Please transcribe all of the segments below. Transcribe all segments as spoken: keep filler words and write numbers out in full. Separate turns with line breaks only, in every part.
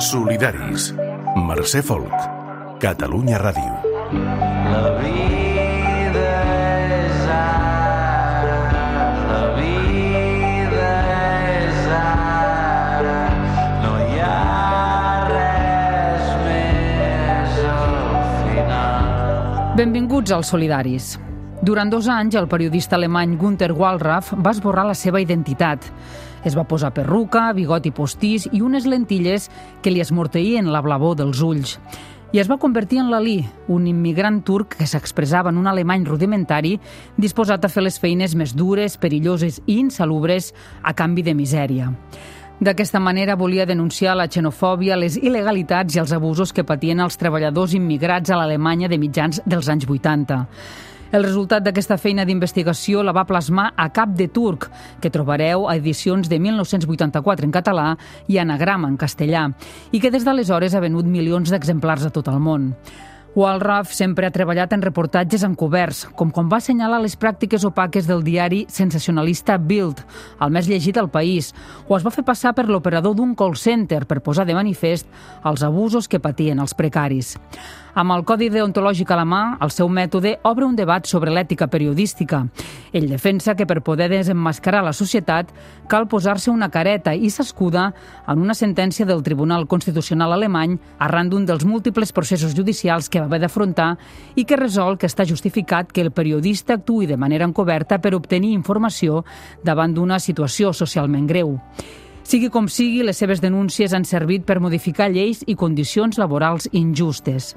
Solidaris. Mercè Folk. Catalunya Ràdio.
La vida és ara, la vida és ara, no hi ha res més al final.
Benvinguts als Solidaris. Durant dos anys, el periodista alemany Günter Wallraff va esborrar la seva identitat. Es va posar perruca, bigoti postís i unes lentilles que li esmorteïen la blavor dels ulls. I es va convertir en l'Ali, un immigrant turc que s'expressava en un alemany rudimentari disposat a fer les feines més dures, perilloses i insalubres a canvi de misèria. D'aquesta manera volia denunciar la xenofòbia, les il·legalitats i els abusos que patien els treballadors immigrats a l'Alemanya de mitjans dels anys vuitanta. El resultat d'aquesta feina d'investigació la va plasmar a Cap de Turc, que trobareu a edicions de mil nou-cents vuitanta-quatre en català i Anagrama en castellà, i que des d'aleshores ha venut milions d'exemplars a tot el món. Wallraff sempre ha treballat en reportatges encoberts, com quan va assenyalar les pràctiques opaques del diari sensacionalista Bild, el més llegit al país, o es va fer passar per l'operador d'un call center per posar de manifest els abusos que patien els precaris. Amb el codi deontològic a la mà, el seu mètode obre un debat sobre l'ètica periodística. Ell defensa que per poder desemmascarar la societat cal posar-se una careta i s'escuda en una sentència del Tribunal Constitucional alemany arran d'un dels múltiples processos judicials que va haver d'afrontar i que resol que està justificat que el periodista actuï de manera encoberta per obtenir informació davant d'una situació socialment greu. Sigui com sigui, les seves denúncies han servit per modificar lleis i condicions laborals injustes.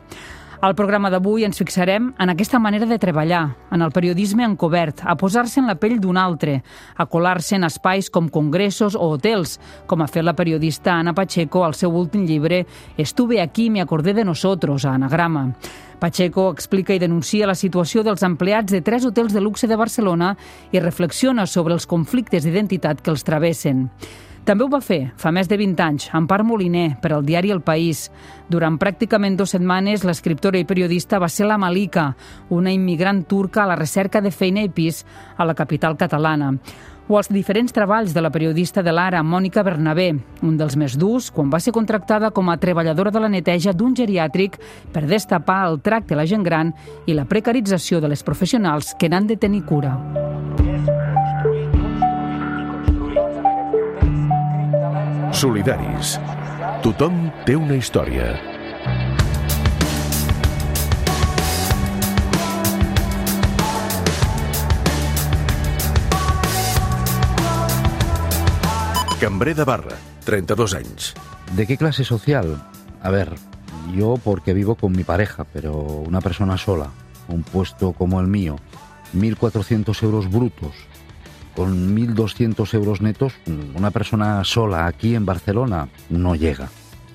Al programa d'avui ens fixarem en aquesta manera de treballar, en el periodisme encobert, a posar-se en la pell d'un altre, a colar-se en espais com congressos o hotels, com ha fet la periodista Ana Pacheco al seu últim llibre Estuve aquí, me acordé de nosotros, a Anagrama. Pacheco explica i denuncia la situació dels empleats de tres hotels de luxe de Barcelona i reflexiona sobre els conflictes d'identitat que els travessen. També ho va fer, fa més de vint anys, Empar Moliner, per al diari El País. Durant pràcticament dues setmanes, l'escriptora i periodista va ser la Malika, una immigrant turca a la recerca de feina i pis a la capital catalana. O els diferents treballs de la periodista de l'Ara, Mònica Bernabé, un dels més durs, quan va ser contractada com a treballadora de la neteja d'un geriàtric per destapar el tracte a la gent gran i la precarització de les professionals que n'han de tenir cura.
Solidaris. Tothom té una història. Cambrer de Barra, treinta-dos anys.
¿De qué clase social? A ver, yo porque vivo con mi pareja, pero una persona sola, un puesto como el mío, mil cuatrocientos euros brutos, con mil doscientos euros netos, una persona sola aquí en Barcelona no llega.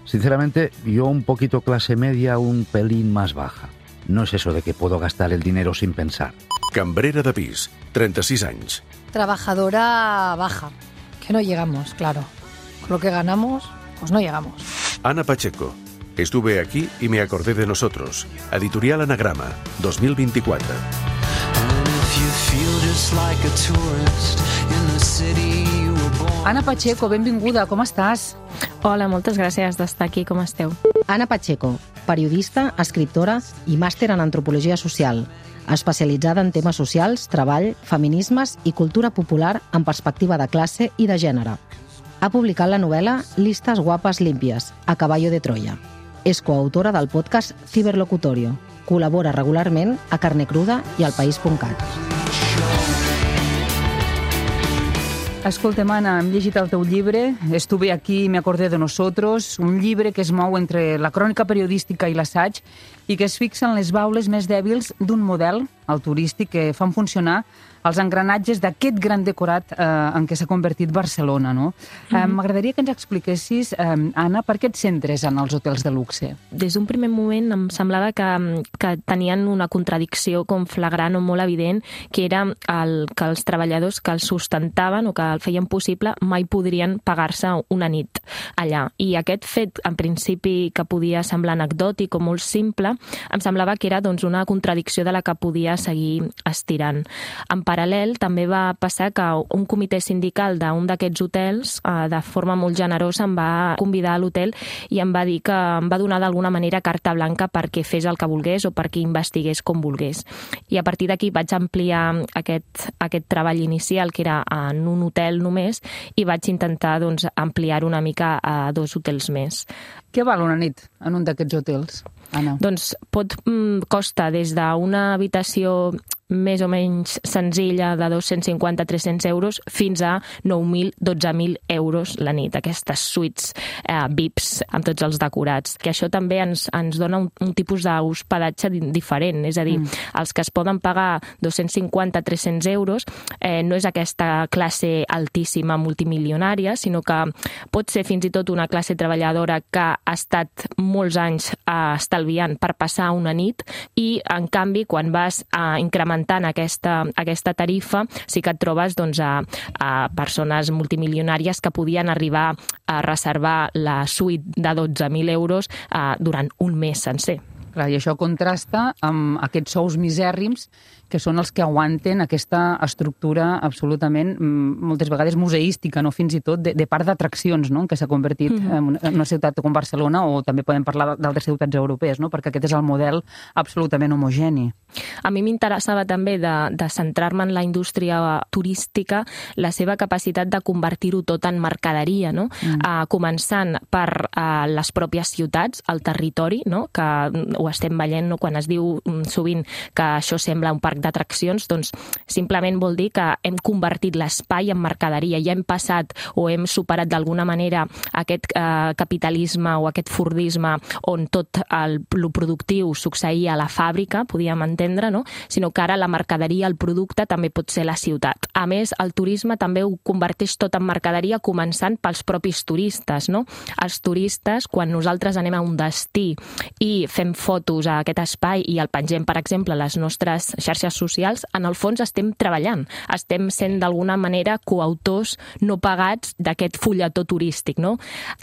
Sinceramente, yo un poquito clase media, un pelín más baja. No es eso de que puedo gastar el dinero sin pensar.
Cambrera de pis, treinta-sis anys.
Trabajadora baja, que no llegamos, claro. Con lo que ganamos, pues no llegamos.
Ana Pacheco. Estuve aquí y me acordé de nosotros. Editorial Anagrama, dos mil vint-i-quatre.
Ana Pacheco, benvinguda, com estàs?
Hola, moltes gràcies d'estar aquí, com esteu?
Ana Pacheco, periodista, escriptora i màster en antropologia social, especialitzada en temes socials, treball, feminismes i cultura popular en perspectiva de classe i de gènere. Ha publicat la novel·la Listas guapes limpias, a caballo de Troya. És coautora del podcast Ciberlocutorio. Col·labora regularment a Carne Cruda i al País punt cat.
Escolta'm, Anna, hem llegit el teu llibre, Estuve aquí y me acordé de nosotros, un llibre que es mou entre la crònica periodística i l'assaig i que es fixa en les baules més dèbils d'un model, el turístic, que fan funcionar els engranatges d'aquest gran decorat eh, en què s'ha convertit Barcelona, no? Mm-hmm. Eh, m'agradaria que ens expliquessis, eh, Anna, per què et centres en els hotels de luxe?
Des d'un primer moment em semblava que, que tenien una contradicció com flagrant o molt evident, que era el, que els treballadors que els sustentaven o que el feien possible mai podrien pagar-se una nit allà. I aquest fet, en principi, que podia semblar anecdòtic o molt simple, em semblava que era doncs, una contradicció de la que podia seguir estirant. En paral·lel, també va passar que un comitè sindical d'un d'aquests hotels, eh, de forma molt generosa, em va convidar a l'hotel i em va dir que em va donar d'alguna manera carta blanca perquè fes el que volgués o perquè investigués com volgués. I a partir d'aquí vaig ampliar aquest, aquest treball inicial, que era en un hotel només, i vaig intentar doncs, ampliar una mica a dos hotels més.
Què val una nit en un d'aquests hotels, Anna?
Doncs pot mm, costa des d'una habitació més o menys senzilla de dos-cents cinquanta a tres-cents euros fins a nou mil a dotze mil euros la nit, aquestes suites eh, V I Ps amb tots els decorats, que això també ens, ens dona un, un tipus d'hospedatge diferent, és a dir, mm. els que es poden pagar dos-cents cinquanta a tres-cents euros eh, no és aquesta classe altíssima multimilionària, sinó que pot ser fins i tot una classe treballadora que ha estat molts anys eh, estalviant per passar una nit i, en canvi, quan vas a incrementar aquesta, aquesta tarifa, sí que et trobes doncs, a, a persones multimilionàries que podien arribar a reservar la suite de dotze mil euros eh, durant un mes sencer.
Clar, i això contrasta amb aquests sous misèrrims que són els que aguanten aquesta estructura absolutament, moltes vegades museística, no? Fins i tot de, de part d'atraccions, no? En què s'ha convertit mm-hmm. en una ciutat com Barcelona, o també podem parlar d'altres ciutats europees, no? Perquè aquest és el model absolutament homogeni.
A mi m'interessava també de, de centrar-me en la indústria turística, la seva capacitat de convertir-ho tot en mercaderia, no? Mm. Uh, començant per uh, les pròpies ciutats, el territori, no? Que ho estem veient, no? Quan es diu sovint que això sembla un parc d'atraccions, doncs simplement vol dir que hem convertit l'espai en mercaderia, ja hem passat o hem superat d'alguna manera aquest eh, capitalisme o aquest fordisme on tot el, el productiu succeïa a la fàbrica, podíem entendre, no? Sinó que ara la mercaderia, el producte, també pot ser la ciutat. A més, el turisme també ho converteix tot en mercaderia, començant pels propis turistes, no? Els turistes, quan nosaltres anem a un destí i fem fotos a aquest espai i el pengem, per exemple, a les nostres xarxes socials, en el fons estem treballant, estem sent d'alguna manera coautors no pagats d'aquest fulletó turístic, no?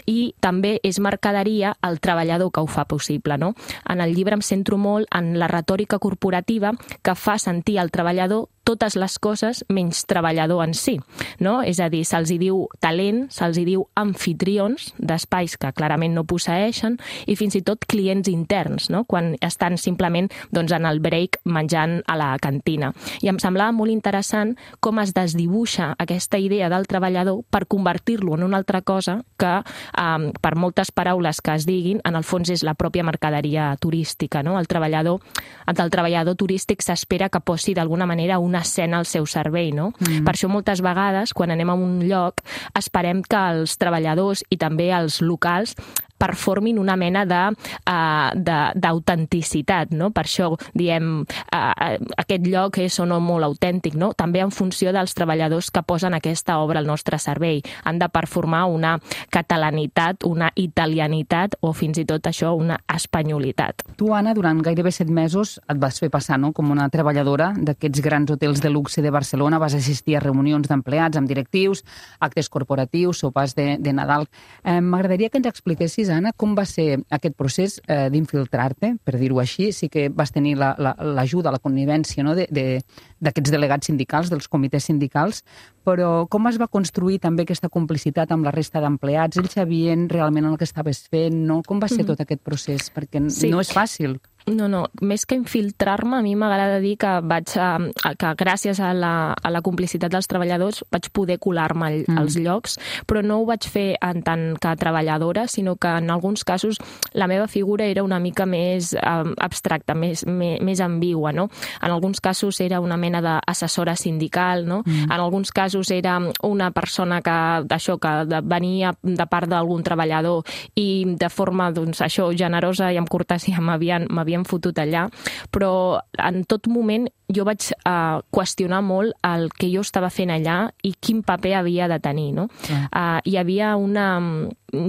I també és mercaderia el treballador que ho fa possible, no? En el llibre em centro molt en la retòrica corporativa que fa sentir al treballador totes les coses menys treballador en si, no? És a dir, se'ls hi diu talent, se'ls hi diu anfitrions d'espais que clarament no posseeixen i fins i tot clients interns, no? Quan estan simplement doncs, en el break menjant a la cantina. I em semblava molt interessant com es desdibuixa aquesta idea del treballador per convertir-lo en una altra cosa que, eh, per moltes paraules que es diguin, en el fons és la pròpia mercaderia turística, no? El treballador, el treballador turístic s'espera que posi d'alguna manera una escena al seu servei, no? Mm. Per això moltes vegades, quan anem a un lloc, esperem que els treballadors i també els locals performin una mena de, uh, de, d'autenticitat, no? Per això diem uh, aquest lloc és o no molt autèntic, no? També en funció dels treballadors que posen aquesta obra al nostre servei. Han de performar una catalanitat, una italianitat o fins i tot això, una espanyolitat.
Tu, Anna, durant gairebé set mesos et vas fer passar, no?, com una treballadora d'aquests grans hotels de luxe de Barcelona, vas assistir a reunions d'empleats amb directius, actes corporatius, sopars de, de Nadal. Eh, m'agradaria que ens expliquessis, Anna, com va ser aquest procés eh, d'infiltrar-te, per dir-ho així. Sí que vas tenir la, la, l'ajuda, la connivència, no?, de, de, d'aquests delegats sindicals, dels comitès sindicals, però com es va construir també aquesta complicitat amb la resta d'empleats? Ells sabien realment el que estaves fent, no? Com va ser mm-hmm. tot aquest procés? Perquè sí. no és fàcil.
No, no, més que infiltrar-me, a mi m'agrada dir que vaig a, que gràcies a la, a la complicitat dels treballadors vaig poder colar-me al, mm. als llocs, però no ho vaig fer en tant que treballadora, sinó que en alguns casos la meva figura era una mica més um, abstracta, més, més, més ambigua, no? En alguns casos era una mena d'assessora sindical, no? Mm. En alguns casos era una persona que, això, que venia de part d'algun treballador i de forma, doncs, això, generosa i amb cortesia m'havien, m'havien fotut allà, però en tot moment jo vaig uh, qüestionar molt el que jo estava fent allà i quin paper havia de tenir, no? Mm. Uh, hi havia una,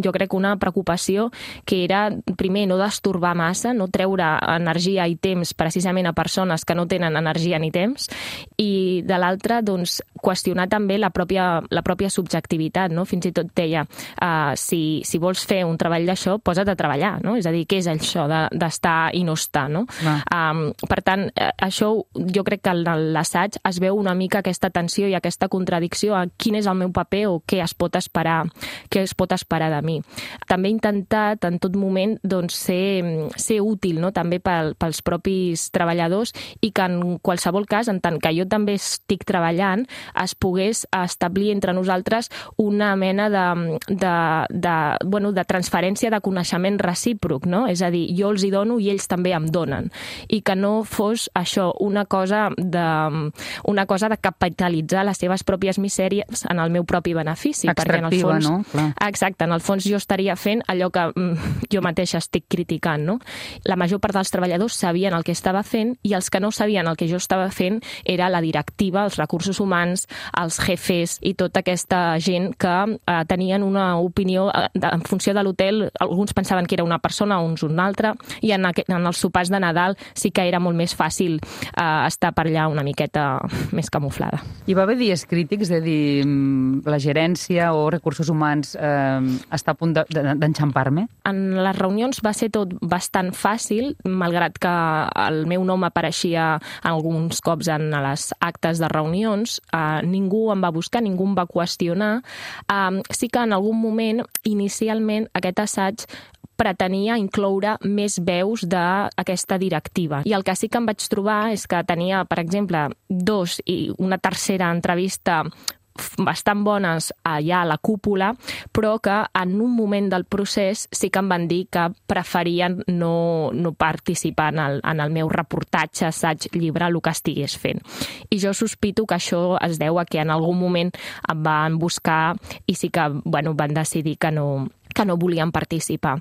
jo crec, una preocupació que era, primer, no destorbar massa, no treure energia i temps precisament a persones que no tenen energia ni temps, i de l'altra, doncs, qüestionar també la pròpia, la pròpia subjectivitat, no? Fins i tot deia, uh, si, si vols fer un treball d'això, posa't a treballar, no? És a dir, què és això d'estar i no estar, no? Um, per tant, això jo crec que en l'assaig es veu una mica aquesta tensió i aquesta contradicció a quin és el meu paper o què es pot esperar, què es pot esperar de mi. També he intentat en tot moment doncs, ser, ser útil, no? També pel, pels propis treballadors i que en qualsevol cas, en tant que jo també estic treballant, es pogués establir entre nosaltres una mena de, de, de, bueno, de transferència de coneixement recíproc, no? És a dir, jo els hi dono i ells també em donen. I que no fos això una cosa de, una cosa de capitalitzar les seves pròpies misèries en el meu propi benefici.
Extractiva,
perquè en el fons,
no? Clar.
Exacte, en el fons jo estaria fent allò que jo mateixa estic criticant, no? La major part dels treballadors sabien el que estava fent i els que no sabien el que jo estava fent era la directiva, els recursos humans, els jefes i tota aquesta gent que eh, tenien una opinió eh, en funció de l'hotel. Alguns pensaven que era una persona, uns una altra, i en, aquest, en els sopars de Nadal sí que era molt més fàcil eh, estar per allà una miqueta més camuflada.
Hi va haver dies crítics de dir la gerència o recursos humans eh, està a punt d'enxampar-me?
En les reunions va ser tot bastant fàcil, malgrat que el meu nom apareixia alguns cops en les actes de reunions. Eh, ningú em va buscar, ningú em va qüestionar. Eh, sí que en algun moment, inicialment, aquest assaig pretenia incloure més veus d'aquesta directiva. I el que sí que em vaig trobar és que tenia, per exemple, dos i una tercera entrevista bastant bones allà a la cúpula, però que en un moment del procés sí que em van dir que preferien no, no participar en el, en el meu reportatge, assaig, llibre, el que estigués fent. I jo sospito que això es deu a que en algun moment em van buscar i sí que bueno, van decidir que no que no volien participar.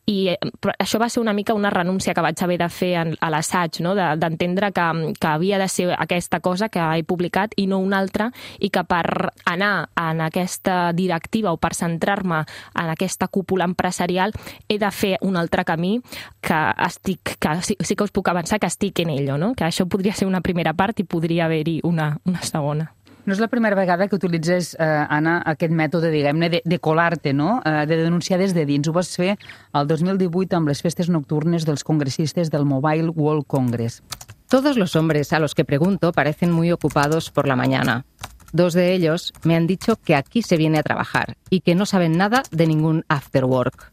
I això va ser una mica una renúncia que vaig haver de fer a l'assaig, no? D'entendre que, que havia de ser aquesta cosa que he publicat i no una altra, i que per anar en aquesta directiva o per centrar-me en aquesta cúpula empresarial he de fer un altre camí que estic, que sí, sí que us puc avançar que estic en ello, no? Que això podria ser una primera part i podria haver-hi una, una segona.
No és la primera vegada que utilitzes, eh, Anna, aquest mètode, diguem-ne, de, de colar-te, no? Eh, de denunciar des de dins. Ho vas fer el dos mil divuit amb les festes nocturnes dels congressistes del Mobile World Congress.
Todos los hombres a los que pregunto parecen muy ocupados por la mañana. Dos de ellos me han dicho que aquí se viene a trabajar y que no saben nada de ningún after work.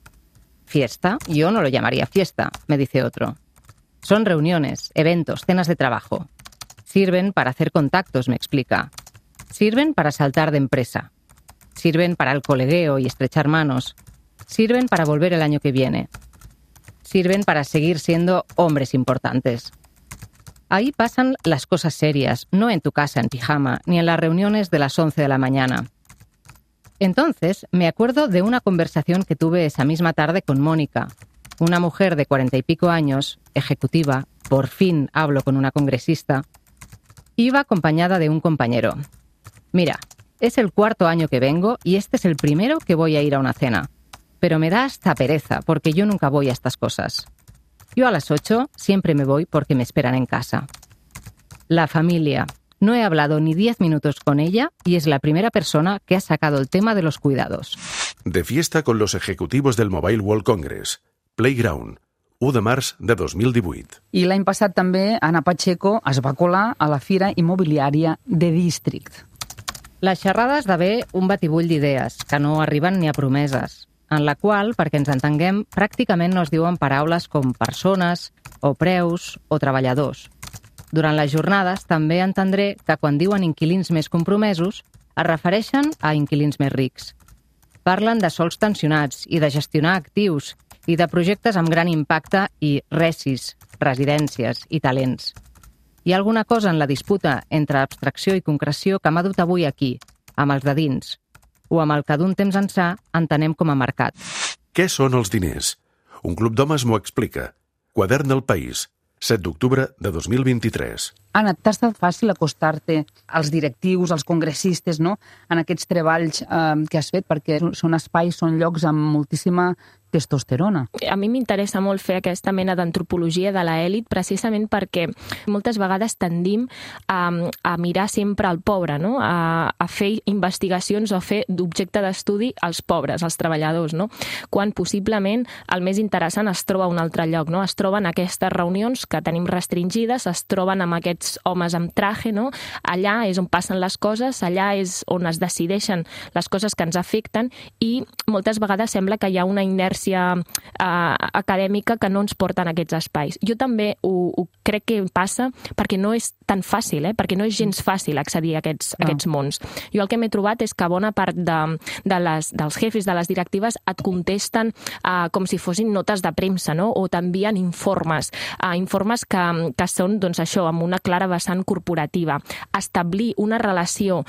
¿Fiesta? Yo no lo llamaría fiesta, me dice otro. Son reuniones, eventos, cenas de trabajo. Sirven para hacer contactos, me explica. Sirven para saltar de empresa. Sirven para el colegueo y estrechar manos. Sirven para volver el año que viene. Sirven para seguir siendo hombres importantes. Ahí pasan las cosas serias, no en tu casa en pijama, ni en las reuniones de las once de la mañana. Entonces, me acuerdo de una conversación que tuve esa misma tarde con Mónica, una mujer de cuarenta y pico años, ejecutiva, por fin hablo con una congresista. Iba acompañada de un compañero. Mira, es el cuarto año que vengo y este es el primero que voy a ir a una cena. Pero me da hasta pereza porque yo nunca voy a estas cosas. Yo a las ocho siempre me voy porque me esperan en casa. La familia. No he hablado ni diez minutos con ella y es la primera persona que ha sacado el tema de los cuidados.
De fiesta con los ejecutivos del Mobile World Congress. Playground. u de març de dos mil divuit.
I l'any passat també Anna Pacheco es va colar a la Fira Immobiliària de District.
La xerrada esdevé un batibull d'idees, que no arriben ni a promeses, en la qual, perquè ens entenguem, pràcticament no es diuen paraules com persones, o preus, o treballadors. Durant les jornades també entendré que quan diuen inquilins més compromesos, es refereixen a inquilins més rics. Parlen de sols tensionats i de gestionar actius i de projectes amb gran impacte i resis, residències i talents. Hi ha alguna cosa en la disputa entre abstracció i concreció que m'ha dut avui aquí, amb els de dins, o amb el que d'un temps ençà entenem com a mercat.
Què són els diners? Un club d'homes m'ho explica. Quadern del País, set d'octubre de dos mil vint-i-tres.
Anna, t'ha estat fàcil acostar-te als directius, als congressistes, no?, en aquests treballs eh, que has fet, perquè són espais, són llocs amb moltíssima testosterona.
A mi m'interessa molt fer aquesta mena d'antropologia de l'elit precisament perquè moltes vegades tendim a, a mirar sempre al pobre, no? a, a fer investigacions o a fer d'objecte d'estudi als pobres, als treballadors, no? Quan possiblement el més interessant es troba a un altre lloc, no? Es troben aquestes reunions que tenim restringides, es troben amb aquests homes amb traje, no? Allà és on passen les coses, allà és on es decideixen les coses que ens afecten i moltes vegades sembla que hi ha una inèrcia eh, acadèmica que no ens porta en aquests espais. Jo també ho, ho crec que passa perquè no és tan fàcil, eh? perquè no és gens fàcil accedir a aquests, a aquests mons. Jo el que m'he trobat és que bona part de, de les, dels jefes, de les directives, et contesten eh, com si fossin notes de premsa, no? O t'envien informes, eh, informes que, que són, doncs, això, amb una clara vessant corporativa. Establir una relació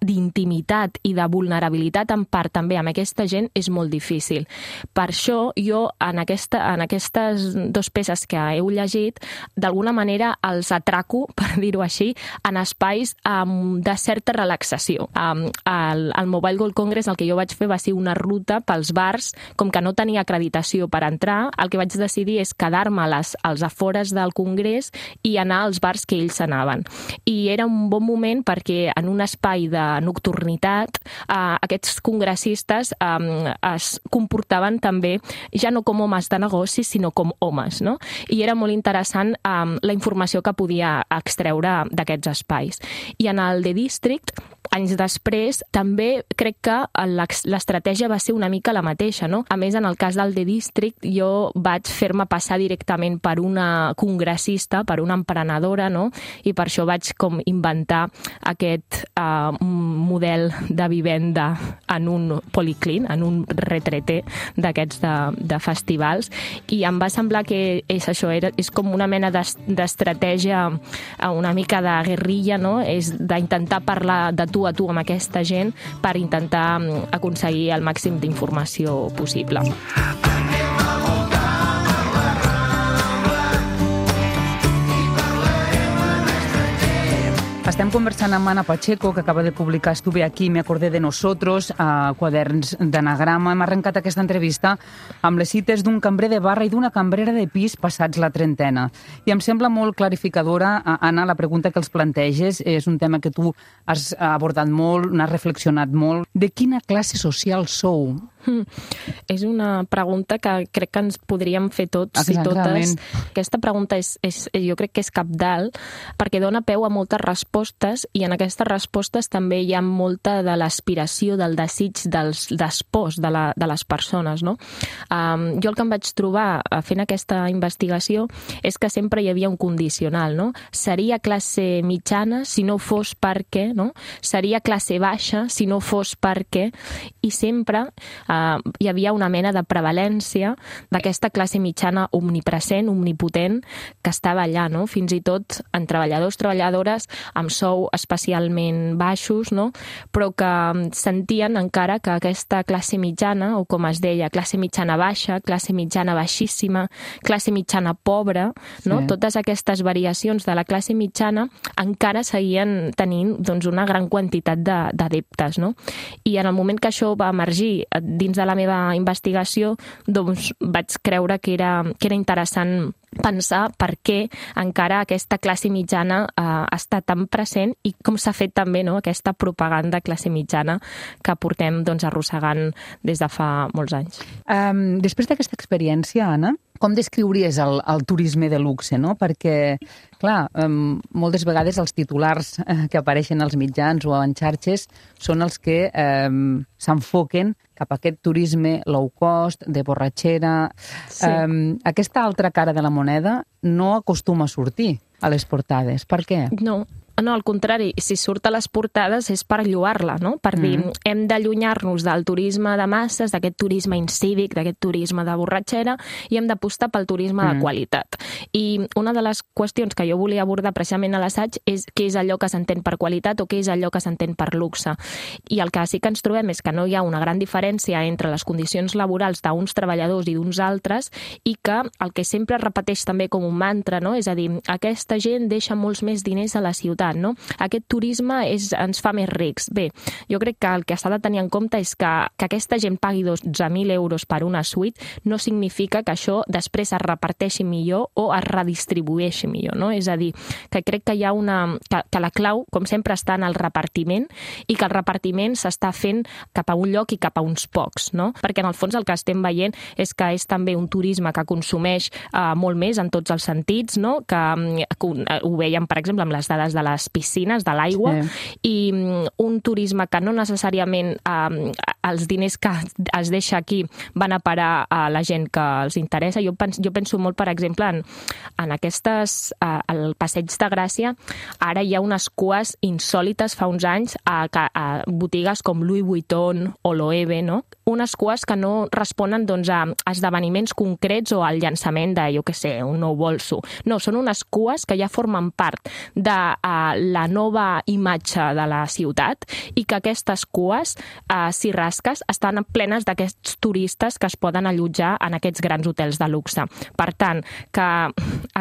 d'intimitat i de vulnerabilitat en part també amb aquesta gent és molt difícil. Per això jo en, aquesta, en aquestes dues peces que heu llegit d'alguna manera els atraco, per dir-ho així, en espais um, de certa relaxació. Um, al, al Mobile World Congress el que jo vaig fer va ser una ruta pels bars, com que no tenia acreditació per entrar, el que vaig decidir és quedar-me als, als afores del congrés i anar als bars que ells anaven. I era un bon moment perquè en un espai de nocturnitat eh, aquests congressistes eh, es comportaven també ja no com homes de negocis, sinó com homes, no? I era molt interessant eh, la informació que podia extreure d'aquests espais. I en el The District, anys després, també crec que l'estratègia va ser una mica la mateixa, no? A més, en el cas del The District, jo vaig fer-me passar directament per una congressista, per una emprenedora, no? I per això vaig com inventar aquest uh, model de vivenda en un policlín, en un retrete d'aquests de, de festivals, i em va semblar que és això, era, és com una mena d'estratègia, una mica de guerrilla, no? És d'intentar parlar de tu a tu amb aquesta gent per intentar aconseguir el màxim d'informació possible.
Estem conversant amb Ana Pacheco, que acaba de publicar Estuve aquí, me acordé de nosotros, a Quaderns d'Anagrama. Hem arrencat aquesta entrevista amb les cites d'un cambrer de barra i d'una cambrera de pis passats la trentena. I em sembla molt clarificadora, Anna, la pregunta que els planteges. És un tema que tu has abordat molt, n'has reflexionat molt. De quina classe social sou?
Mm. És una pregunta que crec que ens podríem fer tots i totes. Aquesta pregunta és, és, jo crec que és cabdal perquè dona peu a moltes respostes i en aquestes respostes també hi ha molta de l'aspiració, del desig, dels despòs de, la, de les persones, no? Um, jo el que em vaig trobar fent aquesta investigació és que sempre hi havia un condicional, no? Seria classe mitjana si no fos perquè, no? Seria classe baixa si no fos perquè, i sempre Uh, hi havia una mena de prevalència d'aquesta classe mitjana omnipresent, omnipotent, que estava allà, no? Fins i tot en treballadors, treballadores amb sou especialment baixos, no? Però que sentien encara que aquesta classe mitjana, o com es deia, classe mitjana baixa, classe mitjana baixíssima, classe mitjana pobra, no? Sí. Totes aquestes variacions de la classe mitjana encara seguien tenint, doncs, una gran quantitat d'adeptes, no? I en el moment que això va emergir dins de la meva investigació, doncs vaig creure que era, que era interessant pensar per què encara aquesta classe mitjana eh, està tan present i com s'ha fet també, no?, aquesta propaganda classe mitjana que portem, doncs, arrossegant des de fa molts anys.
Um, després d'aquesta experiència, Anna, com descriuries el, el turisme de luxe, no? Perquè, clar, um, moltes vegades els titulars eh, que apareixen als mitjans o en xarxes són els que um, s'enfoquen cap a aquest turisme low cost, de borratxera. Sí. Um, aquesta altra cara de la moneda no acostuma a sortir a les portades. Per què?
No. No, al contrari, si surt a les portades és per lloar-la, no? Per dir, mm. hem d'allunyar-nos del turisme de masses, d'aquest turisme incívic, d'aquest turisme de borratxera, i hem d'apostar pel turisme mm. de qualitat. I una de les qüestions que jo volia abordar precisament a l'assaig és què és allò que s'entén per qualitat o què és allò que s'entén per luxe. I el que sí que ens trobem és que no hi ha una gran diferència entre les condicions laborals d'uns treballadors i d'uns altres, i que el que sempre repeteix també com un mantra, no? És a dir, aquesta gent deixa molts més diners a la ciutat ciutat, no? Aquest turisme és, ens fa més rics. Bé, jo crec que el que s'ha de tenir en compte és que, que aquesta gent pagui dotze mil euros per una suite no significa que això després es reparteixi millor o es redistribueixi millor, no? És a dir, que crec que hi ha una... que, que la clau, com sempre, està en el repartiment i que el repartiment s'està fent cap a un lloc i cap a uns pocs, no? Perquè en el fons el que estem veient és que és també un turisme que consumeix eh, molt més en tots els sentits, no? Que, que ho veiem, per exemple, amb les dades de les piscines, de l'aigua, sí. I un turisme que no necessàriament eh, els diners que es deixa aquí van a parar a la gent que els interessa. Jo penso, jo penso molt, per exemple, en, en aquestes... Eh, al Passeig de Gràcia, ara hi ha unes cues insòlites fa uns anys a, a botigues com Louis Vuitton o Loewe, no? Unes cues que no responen doncs, a esdeveniments concrets o al llançament de, jo què sé, un nou bolso. No, són unes cues que ja formen part de uh, la nova imatge de la ciutat i que aquestes cues, uh, si rasques, estan plenes d'aquests turistes que es poden allotjar en aquests grans hotels de luxe. Per tant, que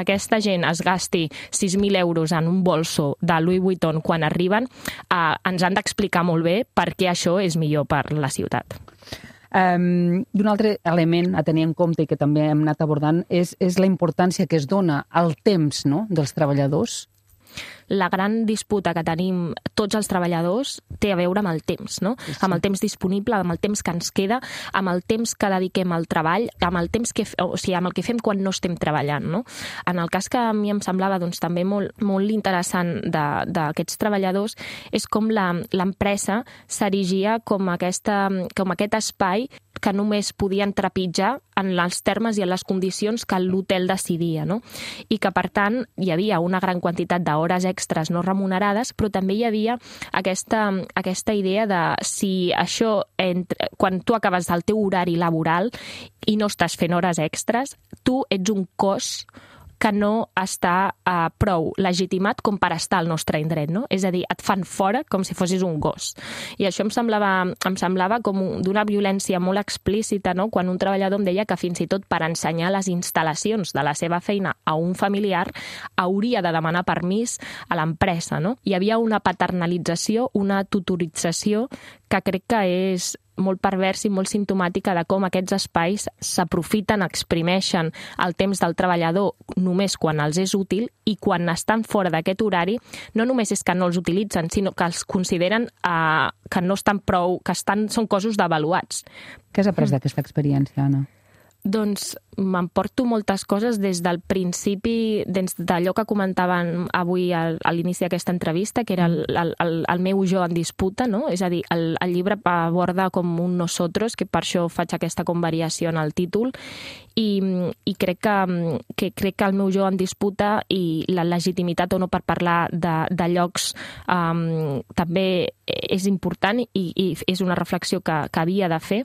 aquesta gent es gasti sis mil euros en un bolso de Louis Vuitton quan arriben, eh, ens han d'explicar molt bé per què això és millor per la ciutat.
Um, I un altre element a tenir en compte i que també hem anat abordant és, és la importància que es dona al temps, no?, dels treballadors.
La gran disputa que tenim tots els treballadors té a veure amb el temps, no? Sí, sí. Amb el temps disponible, amb el temps que ens queda, amb el temps que dediquem al treball, amb el temps que, o sigui, amb el que fem quan no estem treballant, no? En el cas que a mi em semblava doncs, també molt, molt interessant d'aquests treballadors és com l'empresa s'erigia com, aquesta, com aquest espai que només podien trepitjar en els termes i en les condicions que l'hotel decidia, no? I que, per tant, hi havia una gran quantitat d'hores extres no remunerades, però també hi havia aquesta, aquesta idea de si això, entre, quan tu acabes el teu horari laboral i no estàs fent hores extres, tu ets un cos que no està uh, prou legitimat com per estar al nostre indret, no? És a dir, et fan fora com si fossis un gos. I això em semblava, em semblava com d'una violència molt explícita, no? Quan un treballador em deia que fins i tot per ensenyar les instal·lacions de la seva feina a un familiar hauria de demanar permís a l'empresa, no? Hi havia una paternalització, una tutorització que crec que és molt pervers i molt simptomàtica de com aquests espais s'aprofiten, exprimeixen el temps del treballador només quan els és útil i quan estan fora d'aquest horari no només és que no els utilitzen, sinó que els consideren eh, que no estan prou, que estan, són cossos devaluats.
Què has après mm. d'aquesta experiència, Anna?
Doncs m'emporto moltes coses des del principi, des d'allò que comentaven avui a, a l'inici d'aquesta entrevista, que era el, el, el, el meu jo en disputa, no? És a dir, el, el llibre aborda com un nosotros, que per això faig aquesta convariació en el títol, i, i crec, que, que, crec que el meu jo en disputa i la legitimitat o no per parlar de, de llocs um, també és important i, i és una reflexió que, que havia de fer,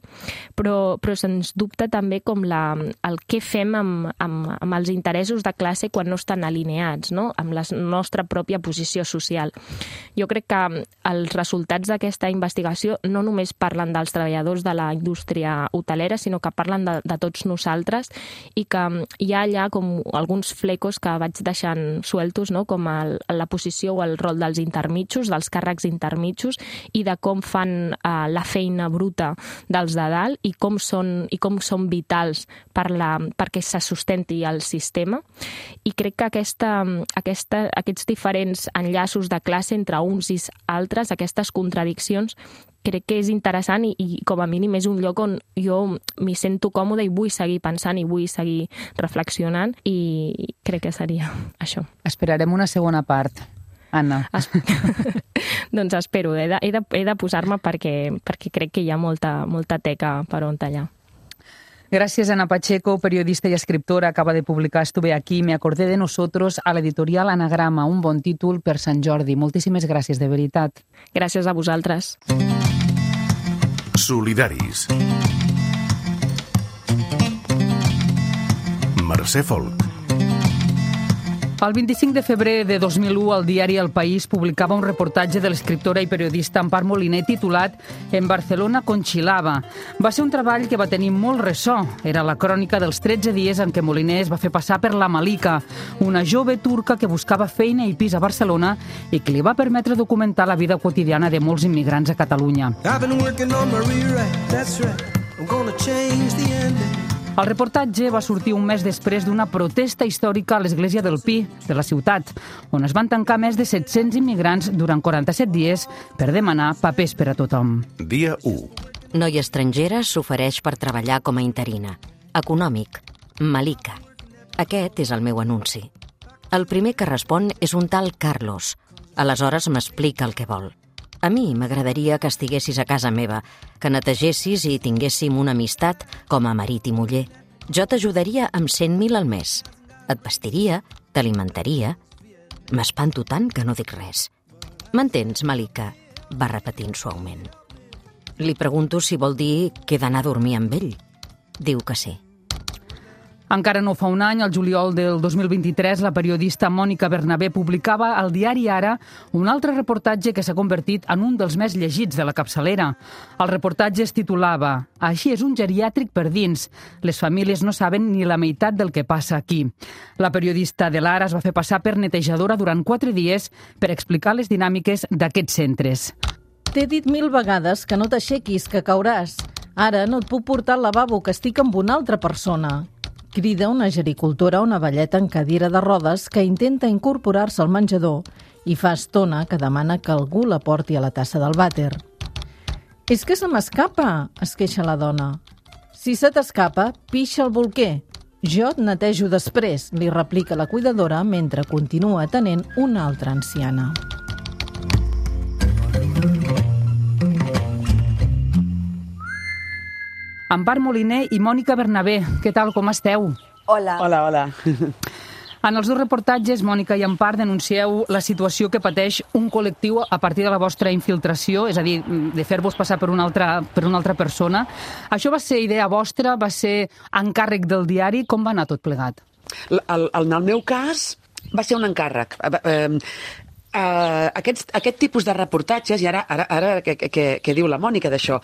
però, però sens dubte també com la, el què fem amb, amb, amb els interessos de classe quan no estan alineats, no? Amb la nostra pròpia posició social. Jo crec que els resultats d'aquesta investigació no només parlen dels treballadors de la indústria hotelera, sinó que parlen de, de tots nosaltres i que hi ha allà com alguns flecos que vaig deixant sueltos, no? Com el, la posició o el rol dels intermitjos, dels càrrecs intermitjos i de com fan eh, la feina bruta dels de dalt i com són, i com són vitals per la, perquè se sustenti el sistema. I crec que aquesta, aquesta, aquests diferents enllaços de classe entre uns i altres, aquestes contradiccions, crec que és interessant i, i com a mínim és un lloc on jo m'hi sento còmode i vull seguir pensant i vull seguir reflexionant i crec que seria això.
Esperarem una segona part, Anna.
Es... doncs espero, he de, he de, he de posar-me perquè, perquè crec que hi ha molta, molta teca per on tallar.
Gracias, Ana Pacheco, periodista y escriptora. Acaba de publicar Estuve aquí, me acordé de nosotros, a l'editorial Anagrama. Un bon títol per Sant Jordi. Moltíssimes gràcies, de veritat.
Gràcies a vosaltres.
Solidaris. Mercè Folk.
El vint-i-cinc de febrer de dos mil u, el diari El País publicava un reportatge de l'escriptora i periodista Empar Moliner titulat «En Barcelona conxilava». Va ser un treball que va tenir molt ressò. Era la crònica dels tretze dies en què Moliner es va fer passar per la Malika, una jove turca que buscava feina i pis a Barcelona i que li va permetre documentar la vida quotidiana de molts immigrants a Catalunya. El reportatge va sortir un mes després d'una protesta històrica a l'església del Pi, de la ciutat, on es van tancar més de set-cents immigrants durant quaranta-set dies per demanar papers per a tothom.
Dia u.
Noia estrangera s'ofereix per treballar com a interina. Econòmic. Malika. Aquest és el meu anunci. El primer que respon és un tal Carlos. Aleshores m'explica el que vol. A mi m'agradaria que estiguessis a casa meva, que netegessis i tinguéssim una amistat com a marit i muller. Jo t'ajudaria amb cent mil al mes. Et vestiria, t'alimentaria. M'espanto tant que no dic res. M'entens, Malika? Va repetint suaument. Li pregunto si vol dir que he d'anar a dormir amb ell. Diu que sí.
Encara no fa un any, el juliol del dos mil vint-i-tres, la periodista Mònica Bernabé publicava al diari Ara un altre reportatge que s'ha convertit en un dels més llegits de la capçalera. El reportatge es titulava «Així és un geriàtric per dins. Les famílies no saben ni la meitat del que passa aquí». La periodista de l'Ara es va fer passar per netejadora durant quatre dies per explicar les dinàmiques d'aquests centres.
T'he dit mil vegades que no t'aixequis, que cauràs. Ara no et puc portar al lavabo, que estic amb una altra persona. Crida una gericultora a una velleta en cadira de rodes que intenta incorporar-se al menjador i fa estona que demana que algú la porti a la tassa del vàter. «És que se m'escapa», es queixa la dona. «Si se t'escapa, pixa el bolquer. Jo et netejo després», li replica la cuidadora mentre continua atenent una altra anciana.
Empar Moliner i Mònica Bernabé, què tal, com esteu?
Hola. Hola, hola.
En els dos reportatges, Mònica i Empar, denuncieu la situació que pateix un col·lectiu a partir de la vostra infiltració, és a dir, de fer-vos passar per una altra, per una altra persona. Això va ser idea vostra, va ser encàrrec del diari, com va anar tot plegat?
El, en el meu cas va ser un encàrrec. Uh, uh, aquests, aquest tipus de reportatges, i ara, ara, ara que, que, que diu la Mònica d'això,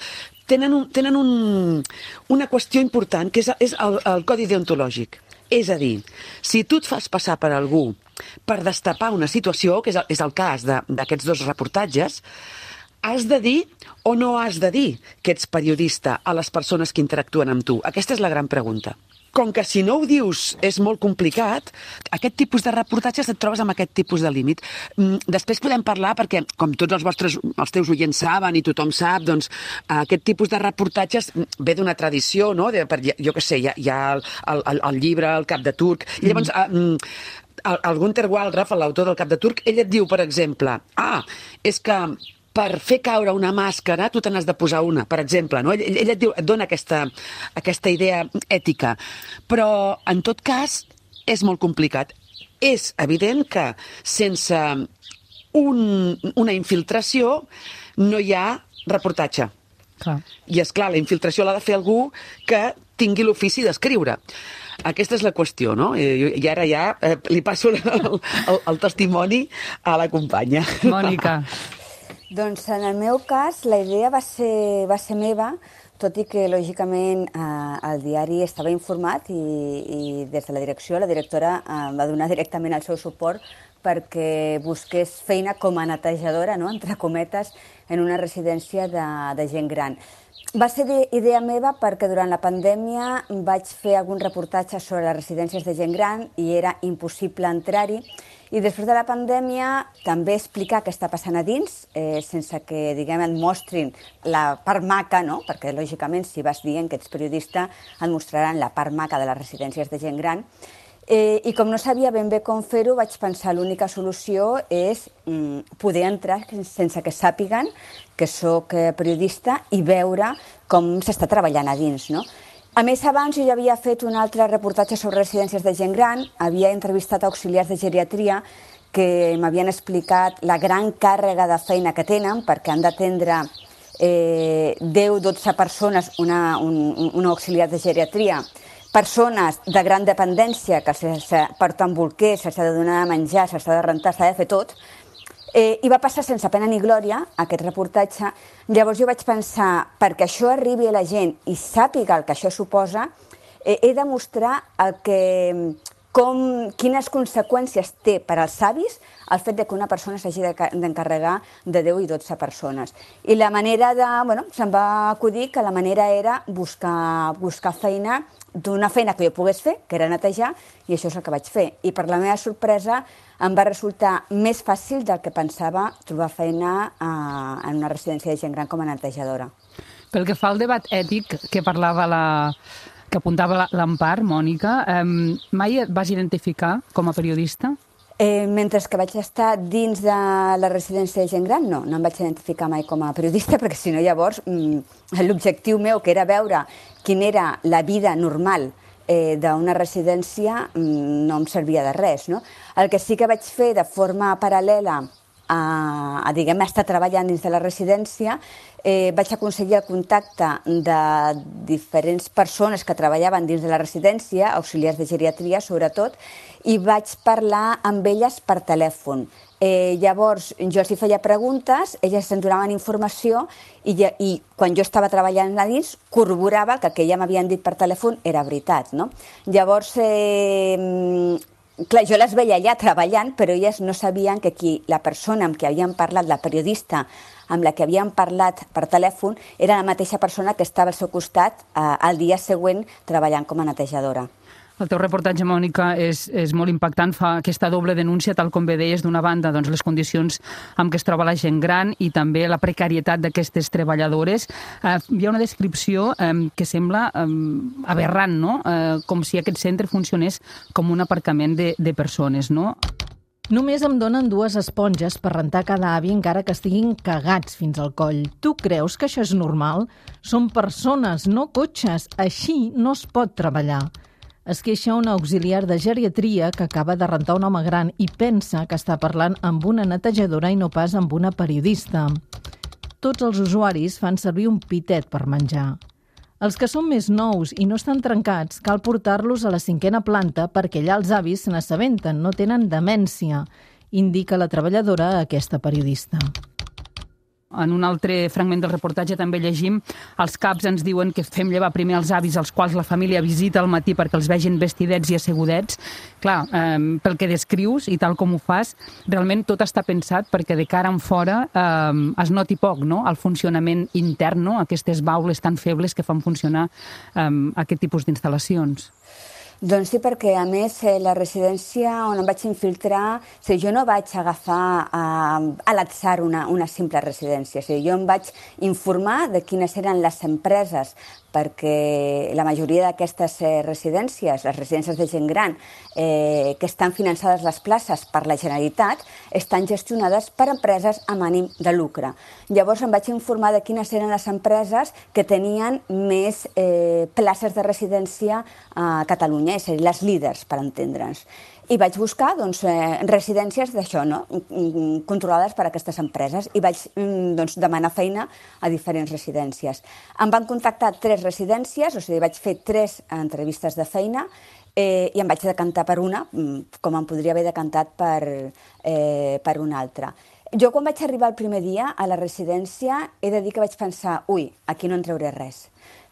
tenen, un, tenen un, una qüestió important, que és, és el, el codi deontològic. És a dir, si tu et fas passar per algú per destapar una situació, que és el, és el cas d'aquests dos reportatges, has de dir o no has de dir que ets periodista a les persones que interactuen amb tu? Aquesta és la gran pregunta. Com que si no ho dius és molt complicat, aquest tipus de reportatges et trobes amb aquest tipus de límit. Després podem parlar, perquè com tots els vostres, els teus oients saben i tothom sap, doncs aquest tipus de reportatges ve d'una tradició, no? De, per, jo què sé, hi ha, hi ha el, el, el llibre El cap de turc, i llavors mm. el, el Günter Wallraff, l'autor del Cap de turc, ell et diu, per exemple, ah, és que per fer caure una màscara tu te n'has de posar una, per exemple. No? Ell, ell et, diu, et dona aquesta, aquesta idea ètica. Però, en tot cas, és molt complicat. És evident que sense un, una infiltració no hi ha reportatge.
Clar.
I, és clar, la infiltració l'ha de fer algú que tingui l'ofici d'escriure. Aquesta és la qüestió, no? I, i ara ja eh, li passo el, el, el testimoni a la companya.
Mònica.
Doncs en el meu cas la idea va ser, va ser meva, tot i que lògicament eh, el diari estava informat i, i des de la direcció la directora eh, va donar directament el seu suport perquè busqués feina com a netejadora, no?, entre cometes, en una residència de, de gent gran. Va ser idea meva perquè durant la pandèmia vaig fer algun reportatge sobre les residències de gent gran i era impossible entrar-hi. I després de la pandèmia també explicar què està passant a dins, eh, sense que, diguem, et mostrin la part maca, no? Perquè, lògicament, si vas dient que ets periodista, et mostraran la part maca de les residències de gent gran. Eh, I com no sabia ben bé com fer-ho, vaig pensar l'única solució és mm, poder entrar sense que sàpiguen que sóc periodista i veure com s'està treballant a dins, no? A més, abans jo ja havia fet un altre reportatge sobre residències de gent gran, havia entrevistat auxiliars de geriatria que m'havien explicat la gran càrrega de feina que tenen perquè han d'atendre eh, deu o dotze persones, una, un, un auxiliar de geriatria, persones de gran dependència que se porten bolquers, s'ha de donar de menjar, s'ha de rentar, s'ha de fer tot, eh, i va passar sense pena ni glòria aquest reportatge. Llavors jo vaig pensar, perquè això arribi a la gent i sàpiga el que això suposa, eh, he de mostrar el que... Com, quines conseqüències té per als avis el fet de que una persona s'hagi d'encarregar de deu i dotze persones. I la manera de... Bueno, se'm va acudir que la manera era buscar, buscar feina d'una feina que jo pogués fer, que era netejar, i això és el que vaig fer. I per la meva sorpresa em va resultar més fàcil del que pensava trobar feina a, en una residència de gent gran com a netejadora.
Pel que fa al debat ètic que parlava la... que apuntava l'Empar, Mònica, eh, mai et vas identificar com a periodista?
Eh, mentre que vaig estar dins de la residència de gent gran, no, no em vaig identificar mai com a periodista, perquè si no llavors mm, l'objectiu meu, que era veure quina era la vida normal eh, d'una residència, mm, no em servia de res, no? El que sí que vaig fer de forma paral·lela a, a diguem, estar treballant dins de la residència, eh, vaig aconseguir el contacte de diferents persones que treballaven dins de la residència, auxiliars de geriatria sobretot, i vaig parlar amb elles per telèfon. Eh, llavors, jo els hi feia preguntes, elles em donaven informació i, i quan jo estava treballant a dins corroborava que el que ja m'havien dit per telèfon era veritat, no? Llavors, eh, clar, jo les veia allà treballant, però elles no sabien que qui, la persona amb qui havien parlat, la periodista amb la que havien parlat per telèfon, era la mateixa persona que estava al seu costat eh, el dia següent treballant com a netejadora.
El teu reportatge, Mònica, és, és molt impactant, fa aquesta doble denúncia, tal com bé deies, d'una banda, doncs, les condicions amb què es troba la gent gran i també la precarietat d'aquestes treballadores. Eh, hi ha una descripció eh, que sembla eh, aberrant, no? Eh, com si aquest centre funcionés com un aparcament de, de persones, no?
Només em donen dues esponges per rentar cada avi encara que estiguin cagats fins al coll. Tu creus que això és normal? Són persones, no cotxes. Així no es pot treballar. Es queixa una auxiliar de geriatria que acaba de rentar un home gran i pensa que està parlant amb una netejadora i no pas amb una periodista. Tots els usuaris fan servir un pitet per menjar. Els que són més nous i no estan trencats, cal portar-los a la cinquena planta perquè allà els avis se n'assabenten, no tenen demència, indica la treballadora a aquesta periodista.
En un altre fragment del reportatge també llegim els caps ens diuen que fem llevar primer els avis als quals la família visita al matí perquè els vegin vestidets i assegudets. Clar, eh, pel que descrius i tal com ho fas, realment tot està pensat perquè de cara en fora eh, es noti poc, no?, el funcionament intern, no?, aquestes baules tan febles que fan funcionar eh, aquest tipus d'instal·lacions.
Doncs sí, perquè a més la residència on em vaig infiltrar, o sigui, jo no vaig agafar uh, a l'atzar una, una simple residència, o sigui, jo em vaig informar de quines eren les empreses, perquè la majoria d'aquestes eh, residències, les residències de gent gran, eh, que estan finançades les places per la Generalitat, estan gestionades per empreses amb ànim de lucre. Llavors em vaig informar de quines eren les empreses que tenien més eh, places de residència a Catalunya, és a dir, les líders, per entendre'ns. I vaig buscar doncs, eh, residències d'això, no?, controlades per aquestes empreses, i vaig doncs, demanar feina a diferents residències. Em van contactar tres residències, o sigui, vaig fer tres entrevistes de feina eh, i em vaig decantar per una, com em podria haver decantat per, eh, per una altra. Jo quan vaig arribar el primer dia a la residència he de dir que vaig pensar, ui, aquí no en trauré res,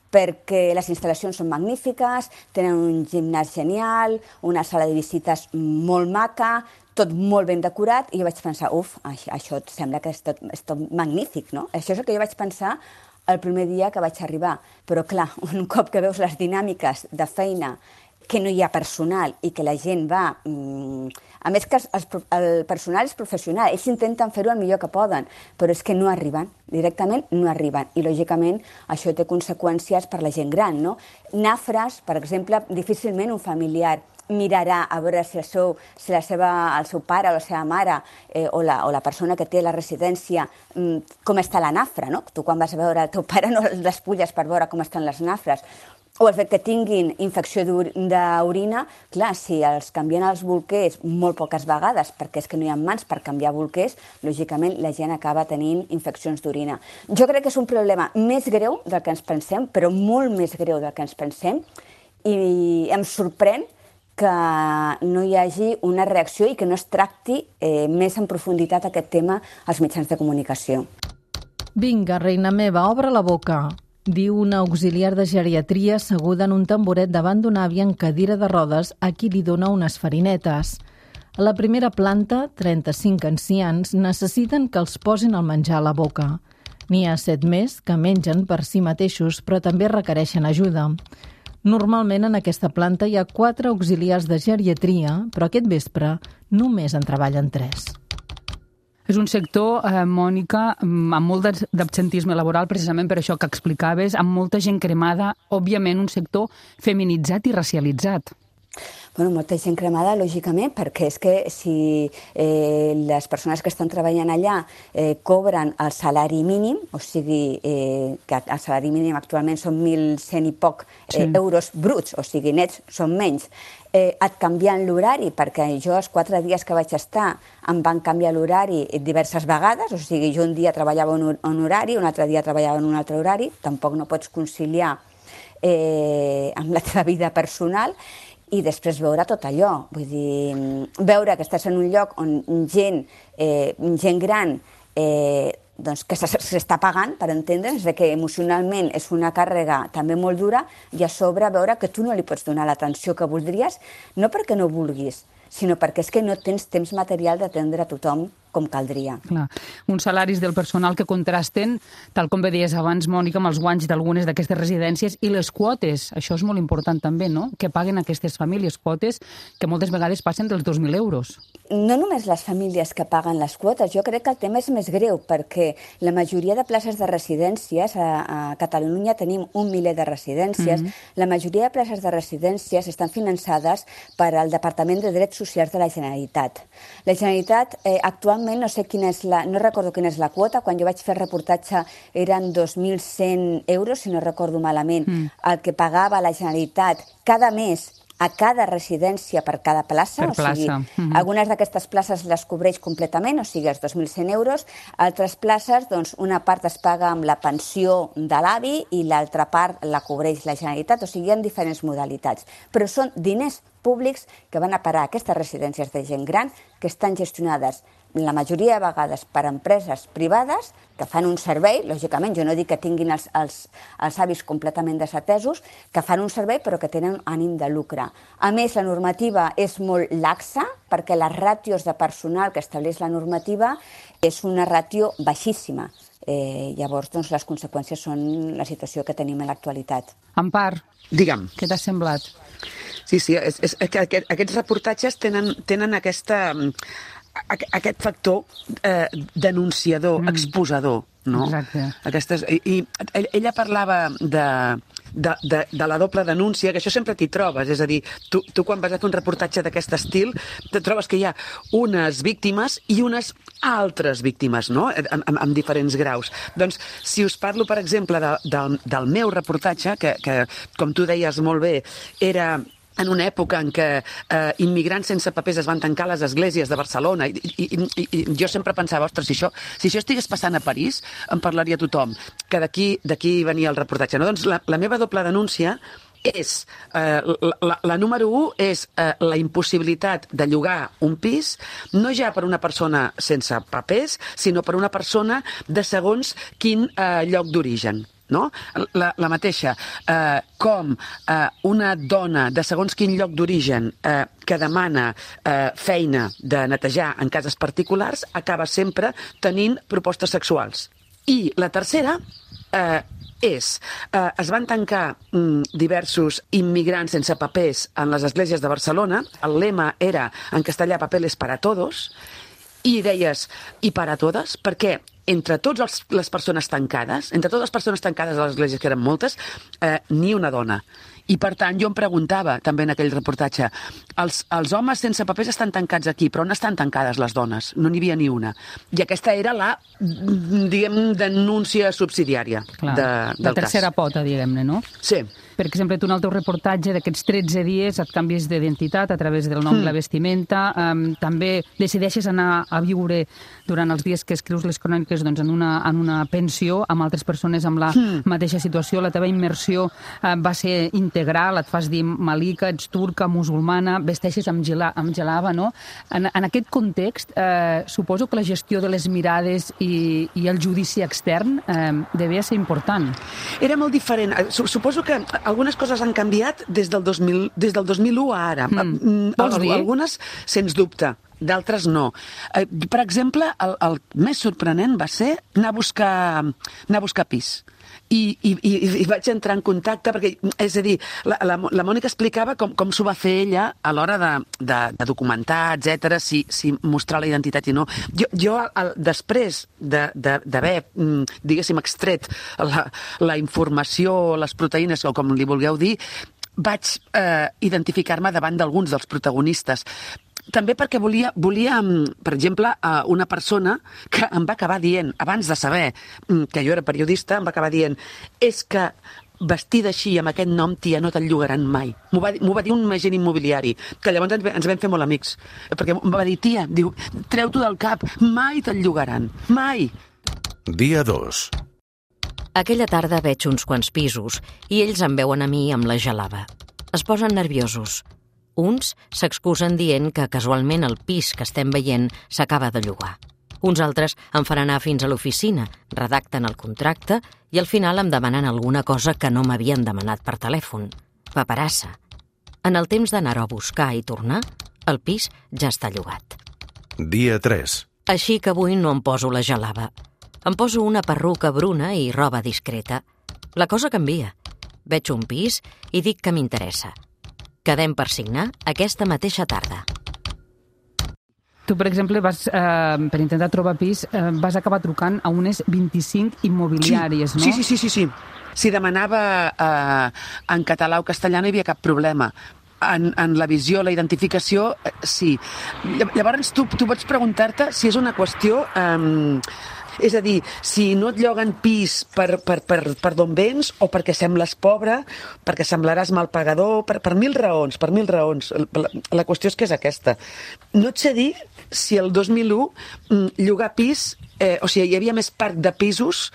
perquè les instal·lacions són magnífiques, tenen un gimnàs genial, una sala de visites molt maca, tot molt ben decorat, i jo vaig pensar, uf, això sembla que és tot, és tot magnífic, no? Això és el que jo vaig pensar el primer dia que vaig arribar. Però clar, un cop que veus les dinàmiques de feina, que no hi ha personal i que la gent va... A més que el personal és professional, ells intenten fer-ho el millor que poden, però és que no arriben, directament no arriben. I, lògicament, això té conseqüències per la gent gran, no? Nafres, per exemple, difícilment un familiar mirarà a veure si el seu, si la seva, el seu pare o la seva mare eh, o, la, o la persona que té la residència com està la nafra, no? Tu quan vas a veure el teu pare no el despulles per veure com estan les nafres. O el fet que tinguin infecció d'orina, clar, si els canvien els bolquers molt poques vegades, perquè és que no hi ha mans per canviar bolquers, lògicament la gent acaba tenint infeccions d'orina. Jo crec que és un problema més greu del que ens pensem, però molt més greu del que ens pensem, I em sorprèn que no hi hagi una reacció i que no es tracti eh, més en profunditat aquest tema als mitjans de comunicació.
Vinga, reina meva, obre la boca, diu una auxiliar de geriatria asseguda en un tamboret davant d'un avi en cadira de rodes a qui li dona unes farinetes. A la primera planta, trenta-cinc ancians necessiten que els posin el menjar a la boca. N'hi ha set més que mengen per si mateixos, però també requereixen ajuda. Normalment en aquesta planta hi ha quatre auxiliars de geriatria, però aquest vespre només en treballen tres.
És un sector, eh, Mònica, amb molt d'absentisme laboral, precisament per això que explicaves, amb molta gent cremada, òbviament un sector feminitzat i racialitzat.
Bueno, molta gent cremada, lògicament, perquè és que si eh, les persones que estan treballant allà eh, cobren el salari mínim, o sigui, eh, que el salari mínim actualment són mil cent i poc eh, sí. euros bruts, o sigui, nets són menys, eh, et canvien l'horari, perquè jo els quatre dies que vaig estar em van canviar l'horari diverses vegades, o sigui, jo un dia treballava un, un horari, un altre dia treballava en un altre horari, tampoc no pots conciliar eh, amb la teva vida personal, i després veure tot allò, vull dir, veure que estàs en un lloc on gent, eh, gent gran eh, doncs que s'està pagant, per entendre's, que emocionalment és una càrrega també molt dura, i a sobre veure que tu no li pots donar l'atenció que voldries, no perquè no vulguis, sinó perquè és que no tens temps material d'atendre a tothom com caldria.
Clar. Uns salaris del personal que contrasten, tal com bé deies abans, Mònica, amb els guanys d'algunes d'aquestes residències i les quotes. Això és molt important també, no?, que paguen aquestes famílies, quotes que moltes vegades passen dels dos mil euros.
No només les famílies que paguen les quotes, jo crec que el tema és més greu, perquè la majoria de places de residències, a, a Catalunya tenim un miler de residències, mm-hmm. la majoria de places de residències estan finançades per al Departament de Drets Socials de la Generalitat. La Generalitat eh, actualment no sé quina és la, no recordo quina és la quota, quan jo vaig fer el reportatge eren dos mil cent euros, si no recordo malament, mm. el que pagava la Generalitat cada mes a cada residència per cada plaça,
per
o sigui,
plaça. Mm-hmm.
algunes d'aquestes places les cobreix completament, o sigui, els dos mil cent euros, altres places, doncs, una part es paga amb la pensió de l'avi i l'altra part la cobreix la Generalitat, o sigui, hi ha diferents modalitats, però són diners públics que van a parar a aquestes residències de gent gran que estan gestionades la majoria de vegades per empreses privades que fan un servei, lògicament, jo no dic que tinguin els, els, els avis completament desatesos, que fan un servei però que tenen ànim de lucre. A més, la normativa és molt laxa perquè les ràtios de personal que estableix la normativa és una ràtio baixíssima. Eh, llavors, doncs, les conseqüències són la situació que tenim en l'actualitat.
Empar,
Digue'm.
què t'ha semblat?
Sí, sí, és, és, és que aquest, aquests reportatges tenen, tenen aquesta... aquest factor eh, denunciador, mm. exposador, no?
Exacte.
Aquestes, i, i ella parlava de, de, de, de la doble denúncia, que això sempre t'hi trobes, és a dir, tu, tu quan vas a fer un reportatge d'aquest estil, te trobes que hi ha unes víctimes i unes altres víctimes, no?, en, en, en diferents graus. Doncs, si us parlo, per exemple, de, de, del meu reportatge, que, que, com tu deies molt bé, era... en una època en què eh, immigrants sense papers es van tancar a les esglésies de Barcelona, i, i, i, i jo sempre pensava, ostres, si això, si això estigués passant a París, en parlaria tothom, que d'aquí d'aquí venia el reportatge. No? Doncs la, la meva doble denúncia és, eh, la, la, la número u és eh, la impossibilitat de llogar un pis, no ja per una persona sense papers, sinó per una persona de segons quin eh, lloc d'origen. No? La, la mateixa, eh, com eh, una dona de segons quin lloc d'origen eh, que demana eh, feina de netejar en cases particulars acaba sempre tenint propostes sexuals. I la tercera eh, és, eh, es van tancar mm, diversos immigrants sense papers en les esglésies de Barcelona, el lema era en castellà papeles para todos, i deies, i para todas? Perquè entre totes les persones tancades, entre totes les persones tancades a les esglésies, que eren moltes, eh, ni una dona. I, per tant, jo em preguntava, també en aquell reportatge, els, els homes sense papers estan tancats aquí, però on estan tancades les dones? No n'hi havia ni una. I aquesta era la, diguem, denúncia subsidiària
Clar,
de, del
la tercera
cas.
pota, diguem-ne, no?
Sí.
Per exemple, tu en el teu reportatge d'aquests tretze dies et canvies d'identitat a través del nom mm. i la vestimenta, um, també decideixes anar a viure durant els dies que escrius les cròniques doncs, en, una, en una pensió amb altres persones amb la mm. mateixa situació. La teva immersió uh, va ser intensa, integral, et fas dir Malika, ets turca, musulmana, vesteixes amb, gela, amb gelava, no? En, en aquest context, eh, suposo que la gestió de les mirades i, i el judici extern eh, devia ser important.
Era molt diferent. Suposo que algunes coses han canviat des del dos mil, des del dos mil u a ara. Mm.
Vols dir?
Algunes, sens dubte. D'altres no. Eh, per exemple, el, el més sorprenent va ser anar a buscar, anar a buscar pis. I, i, i vaig entrar en contacte, perquè, és a dir, la, la, la Mònica explicava com, com s'ho va fer ella a l'hora de, de, de documentar, etcètera, si, si mostrar la identitat i no. Jo, jo el, després d'haver, de, diguéssim, extret la, la informació, les proteïnes, o com li vulgueu dir, vaig eh, identificar-me davant d'alguns dels protagonistes. També perquè volia, volia, per exemple, una persona que em va acabar dient, abans de saber que jo era periodista, em va acabar dient és que vestida així, amb aquest nom, tia, no te'n llogaran mai. M'ho va, m'ho va dir un agent immobiliari, que llavors ens, ens vam fer molt amics. Perquè em va dir, tia, diu, treu-t'ho del cap, mai te'n llogaran, mai.
Dia dos.
Aquella tarda veig uns quants pisos i ells em veuen a mi amb la gelava. Es posen nerviosos. Uns s'excusen dient que casualment el pis que estem veient s'acaba de llogar. Uns altres em fan anar fins a l'oficina, redacten el contracte i al final em demanen alguna cosa que no m'havien demanat per telèfon. Paperassa. En el temps d'anar-ho a buscar i tornar, el pis ja està llogat.
Dia tres.
Així que avui no em poso la gelava. Em poso una perruca bruna i roba discreta. La cosa canvia. Veig un pis i dic que m'interessa. Quedem per signar aquesta mateixa tarda.
Tu, per exemple, vas, eh, per intentar trobar pis, eh, vas acabar trucant a unes vint-i-cinc immobiliàries,
sí,
no?
Sí, sí, sí, sí, sí. Si demanava eh, en català o castellà no hi havia cap problema. En, en la visió, la identificació, eh, sí. Llavors tu, tu pots preguntar-te si és una qüestió... Eh, És a dir, si no et lloguen pis per, per, per, per d'on vens o perquè sembles pobre, perquè semblaràs mal pagador, per, per mil raons, per mil raons. La, la qüestió és que és aquesta. No et sé dir si el dos mil u llogar pis, eh, o sigui, hi havia més parc de pisos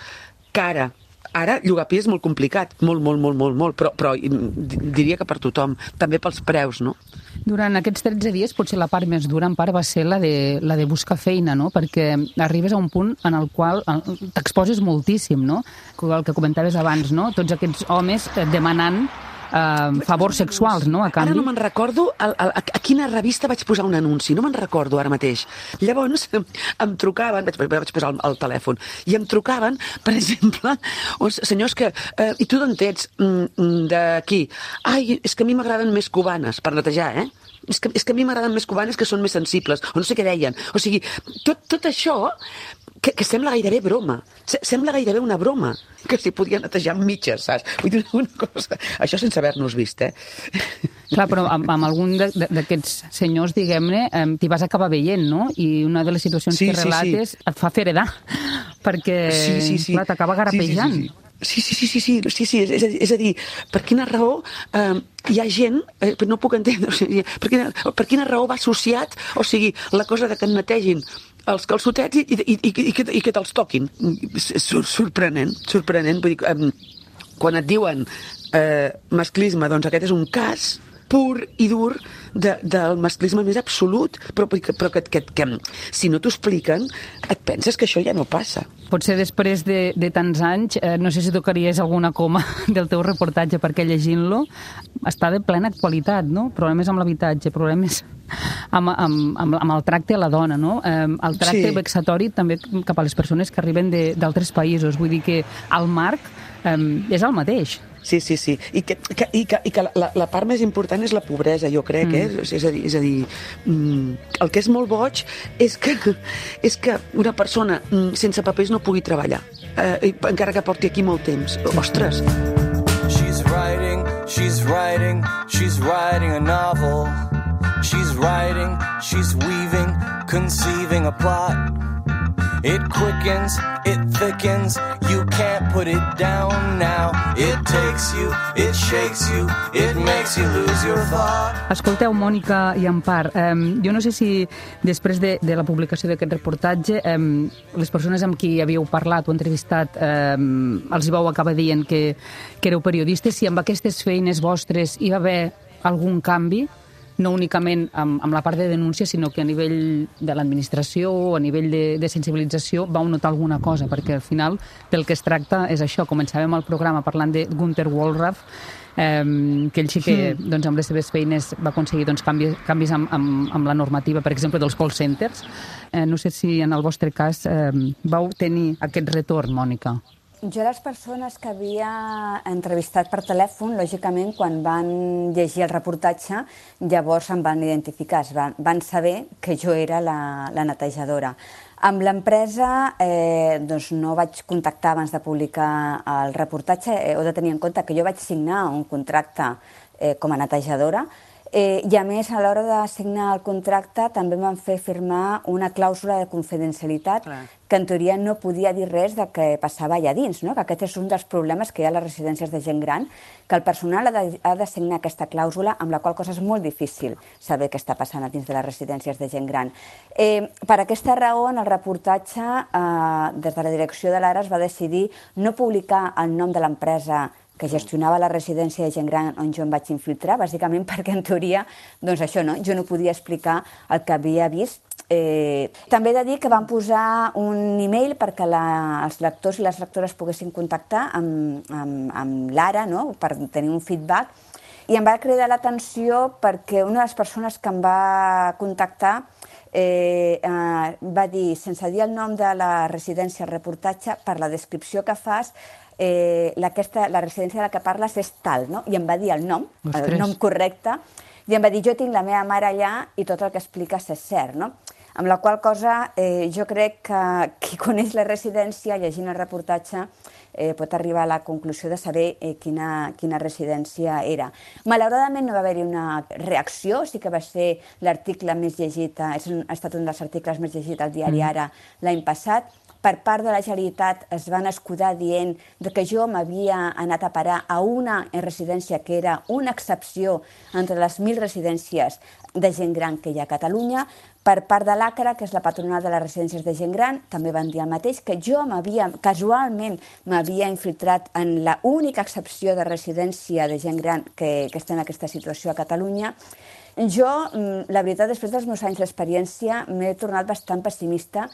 que ara. Ara, llogar pis és molt complicat, molt, molt, molt, molt, molt, però, però diria que per tothom, també pels preus, no?
Durant aquests tretze dies, potser la part més dura, en part, va ser la de, la de buscar feina, no? Perquè arribes a un punt en el qual t'exposes moltíssim, no? El que comentaves abans, no? Tots aquests homes demanant Uh, favors sexuals, no? A canvi.
Ara no me'n recordo a, a, a quina revista vaig posar un anunci, no me'n recordo ara mateix. Llavors em trucaven, vaig, vaig posar el, el telèfon, i em trucaven, per exemple, uns senyors que... Uh, I tu d'on ets? Mm, d'aquí. Ai, és que a mi m'agraden més cubanes, per netejar, eh? És que, és que a mi m'agraden més cubanes que són més sensibles, o no sé què deien. O sigui, tot, tot això... Que, que sembla gairebé broma. Sembla gairebé una broma. Que s'hi podia netejar amb mitges, saps? Vull dir una cosa... Això sense haver-nos vist, eh?
Clar, però amb, amb algun d'aquests senyors, diguem-ne, t'hi vas acabar veient, no? I una de les situacions sí, que relates sí, sí. et fa fer edar, perquè sí, sí, sí. clar, t'acaba garapejant.
Sí, sí, sí. Sí, sí, sí, sí, sí, sí, sí. És, és a dir, per quina raó eh, hi ha gent, eh, no puc entendre, o sigui, per, quina, per quina raó va associat, o sigui, la cosa de que et netegin els calçotets i, i, i, i, que, i que te'ls toquin. Sorprenent, sorprenent. Vull dir, eh, quan et diuen eh, masclisme, doncs aquest és un cas pur i dur de, del masclisme més absolut, però, però que, que, que si no t'ho expliquen et penses que això ja no passa.
Potser després de, de tants anys, eh, no sé si tocaries alguna coma del teu reportatge, perquè llegint-lo està de plena actualitat, no? Problemes amb l'habitatge, problemes amb, amb, amb, amb el tracte a la dona, no? Eh, el tracte sí. vexatori també cap a les persones que arriben d'altres països. Vull dir que el marc eh, és el mateix.
Sí, sí, sí. I que, que, i que, i que la, la part més important és la pobresa, jo crec, mm. eh? És a dir, és a dir mm, el que és molt boig és que, és que una persona mm, sense papers no pugui treballar, eh, encara que porti aquí molt temps. Ostres!
She's writing, she's writing, she's writing a novel. She's writing, she's weaving, conceiving a plot. It quickens, it thickens, you can't put it down now. It takes you, it shakes you, it makes you lose your thought.
Escolteu, Mònica i Empar, eh, jo no sé si després de, de la publicació d'aquest reportatge eh, les persones amb qui havíeu parlat o entrevistat eh, els hi vau acabar dient que, que éreu periodistes, si amb aquestes feines vostres hi va haver algun canvi, no únicament amb, amb la part de denúncia, sinó que a nivell de l'administració o a nivell de, de sensibilització vau notar alguna cosa, perquè al final del que es tracta és això. Començàvem el programa parlant de Gunther Wallraff, eh, que ell sí que mm. doncs, amb les seves feines va aconseguir doncs, canvis, canvis amb, amb, amb la normativa, per exemple, dels call centers. Eh, no sé si en el vostre cas eh, vau tenir aquest retorn, Mònica.
Jo, les persones que havia entrevistat per telèfon, lògicament, quan van llegir el reportatge, llavors em van identificar, van, van saber que jo era la, la netejadora. Amb l'empresa eh, doncs no vaig contactar abans de publicar el reportatge. Eh, heu de tenir en compte que jo vaig signar un contracte eh, com a netejadora, Eh, I a més, a l'hora de signar el contracte també m'han fet firmar una clàusula de confidencialitat Clar. que en teoria no podia dir res de què passava allà dins, no? Que aquest és un dels problemes que hi ha a les residències de gent gran, que el personal ha de, ha de signar aquesta clàusula, amb la qual cosa és molt difícil saber què està passant a dins de les residències de gent gran. Eh, per aquesta raó, en el reportatge, eh, des de la direcció de l'Ara es va decidir no publicar el nom de l'empresa que gestionava la residència de gent gran on jo em vaig infiltrar, bàsicament perquè en teoria, doncs això, no? Jo no podia explicar el que havia vist. Eh, també he de dir que vam posar un e-mail perquè la, els lectors i les lectores poguessin contactar amb, amb, amb l'Ara, no? Per tenir un feedback, i em va cridar l'atenció perquè una de les persones que em va contactar Eh, eh, va dir, sense dir el nom de la residència al reportatge, per la descripció que fas, eh, la, aquesta, la residència de la que parles és tal, no? I em va dir el nom, Ostres. el nom correcte, i em va dir, jo tinc la meva mare allà i tot el que expliques és cert, no? Amb la qual cosa eh, jo crec que qui coneix la residència, llegint el reportatge, eh, pot arribar a la conclusió de saber eh, quina, quina residència era. Malauradament no va haver-hi una reacció, sí que va ser l'article més llegit, ha estat un dels articles més llegits al diari Ara l'any passat. Per part de la Generalitat es van escudar dient que jo m'havia anat a parar a una residència que era una excepció entre les mil residències de gent gran que hi ha a Catalunya. Per part de l'A C R A, que és la patronal de les residències de gent gran, també van dir el mateix, que jo m'havia, casualment, m'havia infiltrat en la única excepció de residència de gent gran que, que està en aquesta situació a Catalunya. Jo, la veritat, després dels meus anys d'experiència, m'he tornat bastant pessimista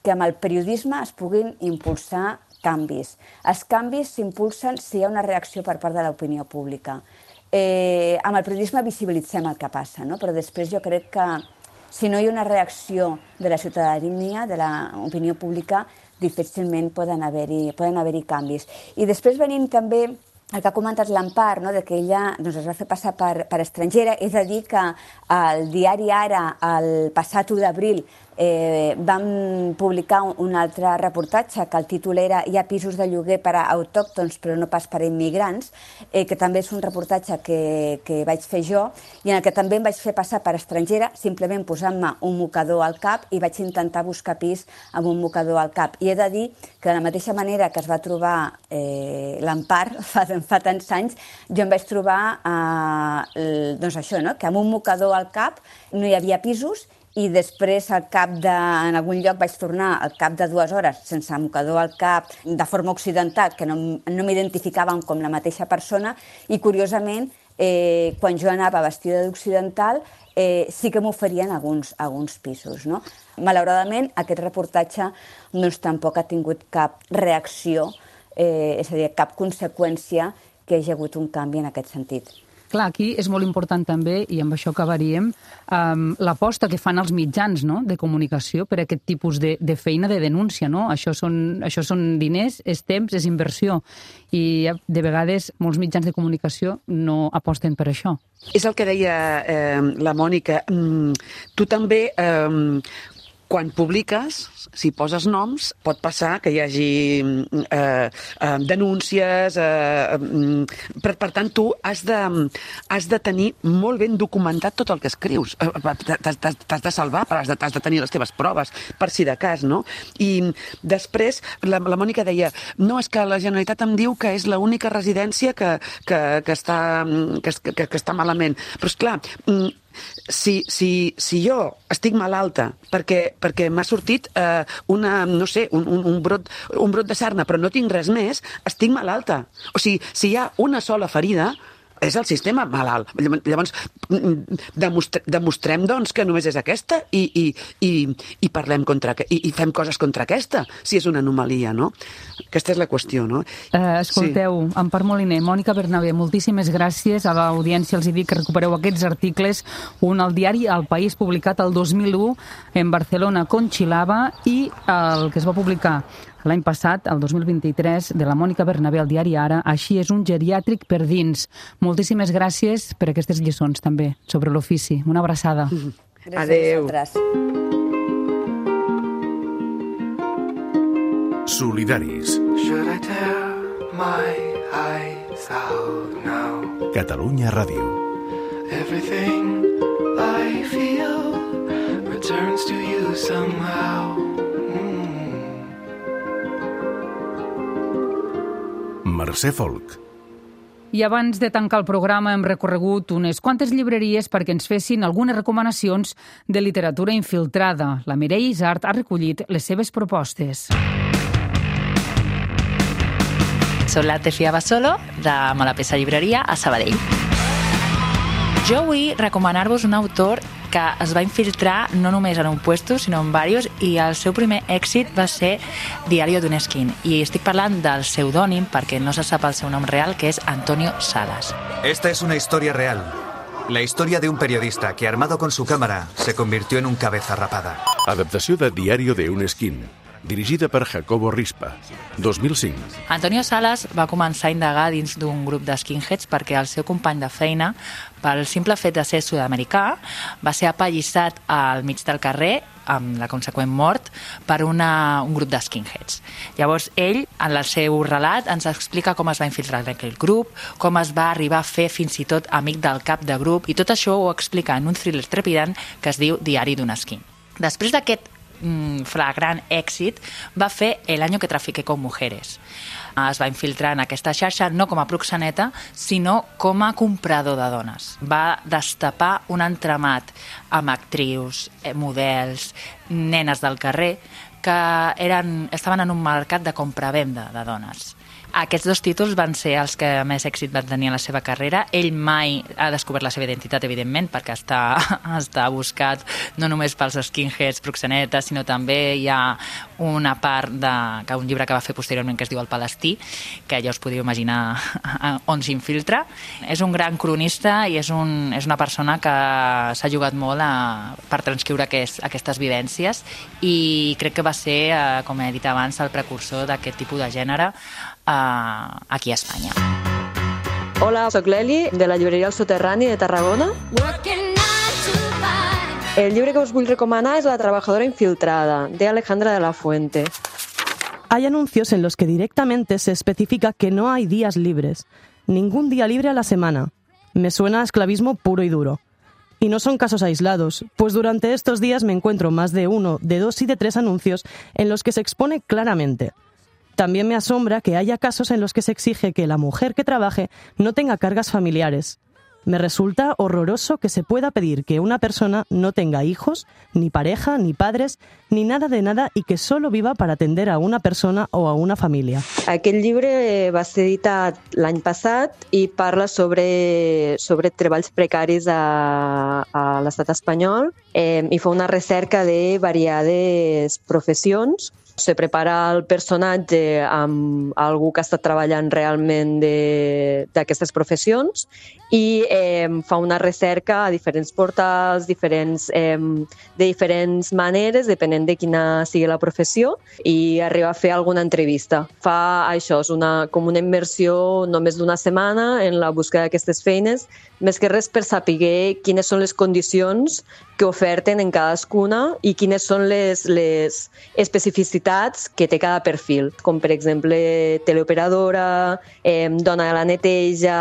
que amb el periodisme es puguin impulsar canvis. Els canvis s'impulsen si hi ha una reacció per part de l'opinió pública. Eh, amb el periodisme visibilitzem el que passa, no? Però després jo crec que si no hi ha una reacció de la ciutadania, de l'opinió pública, difícilment poden haver-hi poden haver-hi canvis. I després venim també el que ha comentat l'Empar, no? De que ella doncs, es va fer passar per, per estrangera. És a dir que el diari Ara, el passat u d'abril, eh, vam publicar un, un altre reportatge que el títol era Hi ha pisos de lloguer per a autòctons però no pas per a immigrants, eh, que també és un reportatge que, que vaig fer jo i en el que també em vaig fer passar per estrangera, simplement posant-me un mocador al cap, i vaig intentar buscar pis amb un mocador al cap. I he de dir que de la mateixa manera que es va trobar eh, l'Empar fa, fa tants anys, jo em vaig trobar eh, doncs això, no? Que amb un mocador al cap no hi havia pisos, i després al cap de, en algun lloc vaig tornar al cap de dues hores sense mocador al cap, de forma occidental, que no, no m'identificaven com la mateixa persona, i curiosament, eh, quan jo anava vestida d'occidental, eh, sí que m'oferien alguns, alguns pisos, no? Malauradament, aquest reportatge doncs, tampoc ha tingut cap reacció, eh, és a dir, cap conseqüència que hi hagi hagut un canvi en aquest sentit.
Clar, aquí és molt important també, i amb això acabaríem, um, l'aposta que fan els mitjans, no?, de comunicació per a aquest tipus de, de feina de denúncia, no? Això són, això són diners, és temps, és inversió, i de vegades molts mitjans de comunicació no aposten per això.
És el que deia eh, la Mònica. Mm, tu també... Eh, quan publiques, si poses noms, pot passar que hi hagi eh, eh, denúncies. Eh, per, per tant, tu has de, has de tenir molt ben documentat tot el que escrius. T'has de salvar, has de, has de tenir les teves proves, per si de cas, no? I després, la, la Mònica deia, no, és que la Generalitat em diu que és l'única residència que, que, que, està, que, que, que està malament. Però, esclar, Si, si, si jo estic malalta perquè, perquè m'ha sortit eh, una, no sé, un, un, un, brot, un brot de sarna, però no tinc res més, estic malalta. O sigui, si hi ha una sola ferida, és el sistema malalt. Llavors, demostre, demostrem doncs, que només és aquesta i, i, i, i parlem contra, i, i fem coses contra aquesta, si és una anomalia, no? Aquesta és la qüestió, no?
Uh, escolteu, sí. Empar Moliner, Mònica Bernabé, moltíssimes gràcies. A l'audiència els dic que recupereu aquests articles, un al diari El País, publicat el dos mil u en Barcelona, Conchilava, i el que es va publicar l'any passat, el dos mil vint-i-tres, de la Mònica Bernabé al diari Ara, Així és un geriàtric per dins. Moltíssimes gràcies per aquestes lliçons, també, sobre l'ofici. Una abraçada.
Gràcies. Adéu.
Solidaris.
Should I tear my eyes out now?
Catalunya Ràdio.
Everything I feel returns to you somehow.
Mercè Folk.
I abans de tancar el programa hem recorregut unes quantes llibreries perquè ens fessin algunes recomanacions de literatura infiltrada. La Mireia Isart ha recollit les seves propostes.
Soc la Tefia Basolo, de Malapesa Llibreria, a Sabadell. Jo vull recomanar-vos un autor que es va infiltrar no només en un puesto, sinó en diversos, i el seu primer èxit va ser Diario d'un esquín. I estic parlant del pseudònim, perquè no se sap el seu nom real, que és Antonio Salas.
Esta es una historia real. La historia de un periodista que, armado con su cámara, se convirtió en un cabeza rapada.
Adaptació de Diario de un esquín, dirigida per Jacobo Rispa, dos mil cinc.
Antonio Salas va començar a indagar dins d'un grup de skinheads perquè el seu company de feina, pel simple fet de ser sud-americà, va ser apallissat al mig del carrer amb la conseqüent mort per una, un grup de skinheads. Llavors ell, en el seu relat, ens explica com es va infiltrar en aquell grup, com es va arribar a fer fins i tot amic del cap de grup, i tot això ho explica en un thriller trepidant que es diu Diari d'un esquín. Després d'aquest flagrant èxit, va fer El año que trafiqué con mujeres. Es va infiltrar en aquesta xarxa no com a proxeneta, sinó com a comprador de dones. Va destapar un entramat amb actrius, models, nenes del carrer, que eren, estaven en un mercat de compra-venda de dones. Aquests dos títols van ser els que més èxit van tenir en la seva carrera. Ell mai ha descobert la seva identitat, evidentment, perquè està, està buscat no només pels skinheads, proxenetes, sinó també hi ha una part de que un llibre que va fer posteriorment que es diu El Palestí, que ja us podeu imaginar on s'infiltra. És un gran cronista i és, un, és una persona que s'ha jugat molt a, per transcriure aquest, aquestes vivències, i crec que va ser, eh, com he dit abans, el precursor d'aquest tipus de gènere aquí a Espanya.
Hola, soc l'Eli, de la llibreria El Soterrani de Tarragona. El llibre que us vull recomanar és La trabajadora infiltrada, de Alejandra de la Fuente.
Hay anuncios en los que directamente se especifica que no hay días libres. Ningún día libre a la semana. Me suena a esclavismo puro y duro. Y no son casos aislados, pues durante estos días me encuentro más de uno, de dos y de tres anuncios en los que se expone claramente: también me asombra que haya casos en los que se exige que la mujer que trabaje no tenga cargas familiares. Me resulta horroroso que se pueda pedir que una persona no tenga hijos, ni pareja, ni padres, ni nada de nada, i que solo viva per atender a una persona o a una família.
Aquest llibre va ser editat l'any passat i parla sobre, sobre treballs precaris a, a l'estat espanyol, eh, i fa una recerca de variades professions. Se prepara el personatge amb algú que està treballant realment d'aquestes professions i eh, fa una recerca a diferents portals, diferents, eh, de diferents maneres, depenent de quina sigui la professió, i arriba a fer alguna entrevista. Fa això, és una, com una immersió només d'una setmana en la búsqueda d'aquestes feines, més que res per saber quines són les condicions que oferten en cadascuna i quines són les, les especificitats que té cada perfil, com per exemple teleoperadora, eh, dona de la neteja,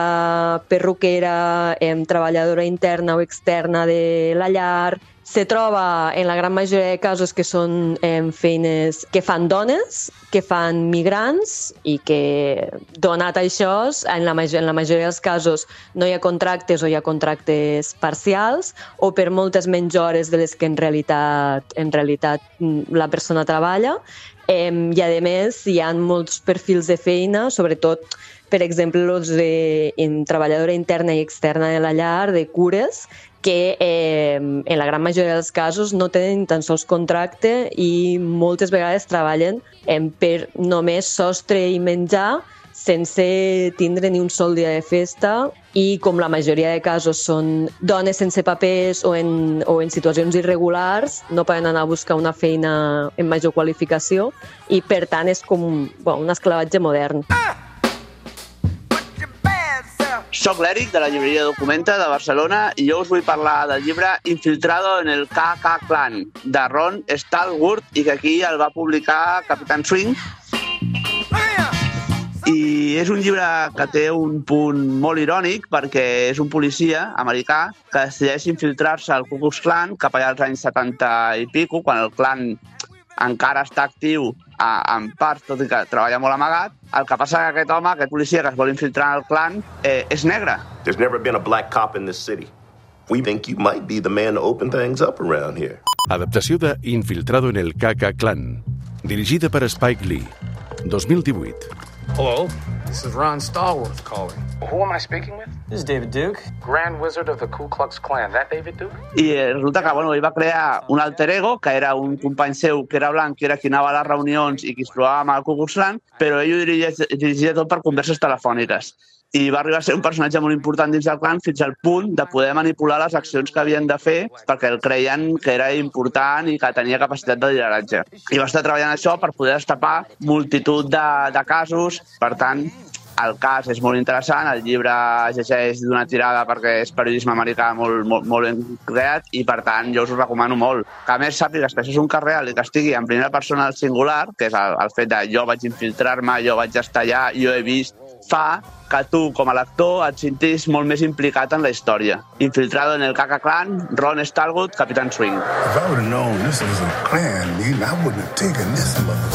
perruquera, eh, treballadora interna o externa de la llar. Se troba en la gran majoria de casos que són eh, feines que fan dones, que fan migrants i que, donat això, en la, major, en la majoria dels casos no hi ha contractes o hi ha contractes parcials o per moltes menys hores de les que en realitat, en realitat la persona treballa. Eh, I a més hi ha molts perfils de feina, sobretot per exemple els de en treballadora interna i externa de la llar, de cures, que eh, en la gran majoria dels casos no tenen tan sols contracte i moltes vegades treballen eh, per només sostre i menjar sense tindre ni un sol dia de festa i com la majoria de casos són dones sense papers o en, o en situacions irregulars, no poden anar a buscar una feina en major qualificació i per tant és com un, bueno, un esclavatge modern.
Soc l'Eric, de la llibreria Documenta de Barcelona, i jo us vull parlar del llibre Infiltrado en el K K Klan, de Ron Stallworth, i que aquí el va publicar Capitán Swing. I és un llibre que té un punt molt irònic perquè és un policia americà que decideix infiltrar-se al Ku Klux Klan cap allà als anys setanta i pico, quan el clan encara està actiu en part, tot i que treballa molt amagat. El que passa que aquest home, aquest policia que es vol infiltrar en el clan, eh, és negre.
There's never been a black cop in this city. We think you might be the man to open things up around here.
Adaptació de Infiltrado en el K K Klan, dirigida per Spike Lee, dos mil divuit.
Hello, this is Ron Stallworth calling. Who am I speaking with? This is David Duke, Grand Wizard of the Ku Klux Klan. That David Duke?
I resulta que bueno, ell va crear un alter ego, que era un company seu que era blanc, que era qui anava a les reunions i qui es trobava amb el Ku Klux Klan, però ell ho dirigia, dirigia tot per converses telefòniques. I va arribar a ser un personatge molt important dins del clan fins al punt de poder manipular les accions que havien de fer perquè el creien que era important i que tenia capacitat de lideratge. I va estar treballant això per poder destapar multitud de, de casos. Per tant, el cas és molt interessant, el llibre llegeix d'una tirada perquè és periodisme americà molt, molt, molt ben creat i, per tant, jo us ho recomano molt. Que a més sàpigues que això és un cas real i que estigui en primera persona al singular, que és el, el fet de jo vaig infiltrar-me, jo vaig estar allà, jo he vist, fa que tu, com a lector, et sentis molt més implicat en la història. Infiltrado en el K K Klan, Ron Stallworth, Capitán Swing.
If I would have known this was a clan meeting, I wouldn't have taken this much.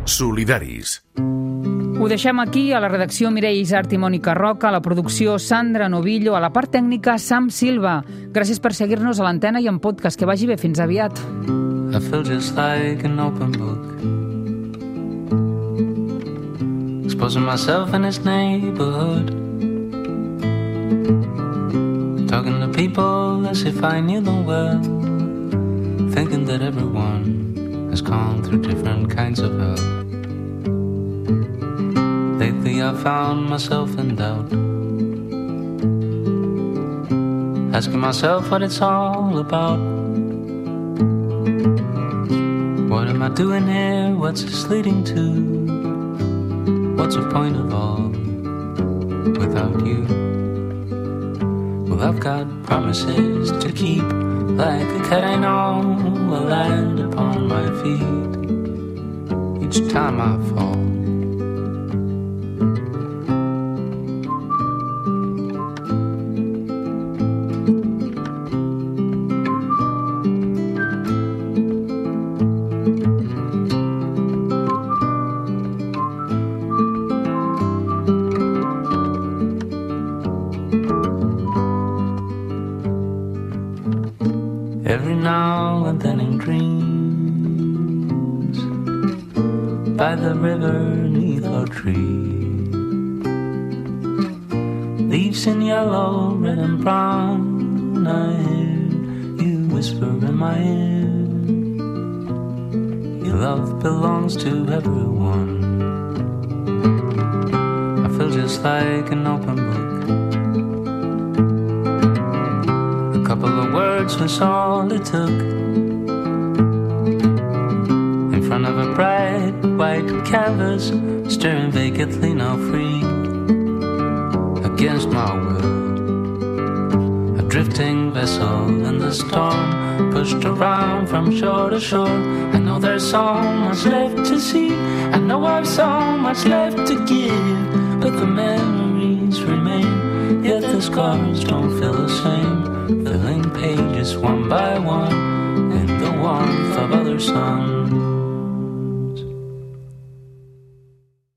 Solidaris.
Ho deixem aquí, a la redacció Mireia Isart i Mònica Roca, a la producció Sandra Novillo, a la part tècnica Sam Silva. Gràcies per seguir-nos a l'antena i en podcast. Que vagi bé, fins aviat.
I feel just like an open book, exposing myself in this neighborhood, talking to people as if I knew them well, thinking that everyone has gone through different kinds of hell. Lately I found myself in doubt, asking myself what it's all about. What am I doing here? What's this leading to? What's the point of all without you? Well, I've got promises to keep, like a cat I know will land upon my feet each time I fall. Every now and then in dreams, by the river neath our tree, leaves in yellow, red and brown, I hear you whisper in my ear, your love belongs to everyone. I feel just like an open book, a couple of words was all it took, in front of a bright white canvas, staring vacantly now free, against my will. I drifting vessel in the storm, pushed around from shore to shore. I know there's so much left to see, I know I've so much left to give, but the memories remain, yet the scars don't feel the same, filling pages one by one in the warmth of other suns.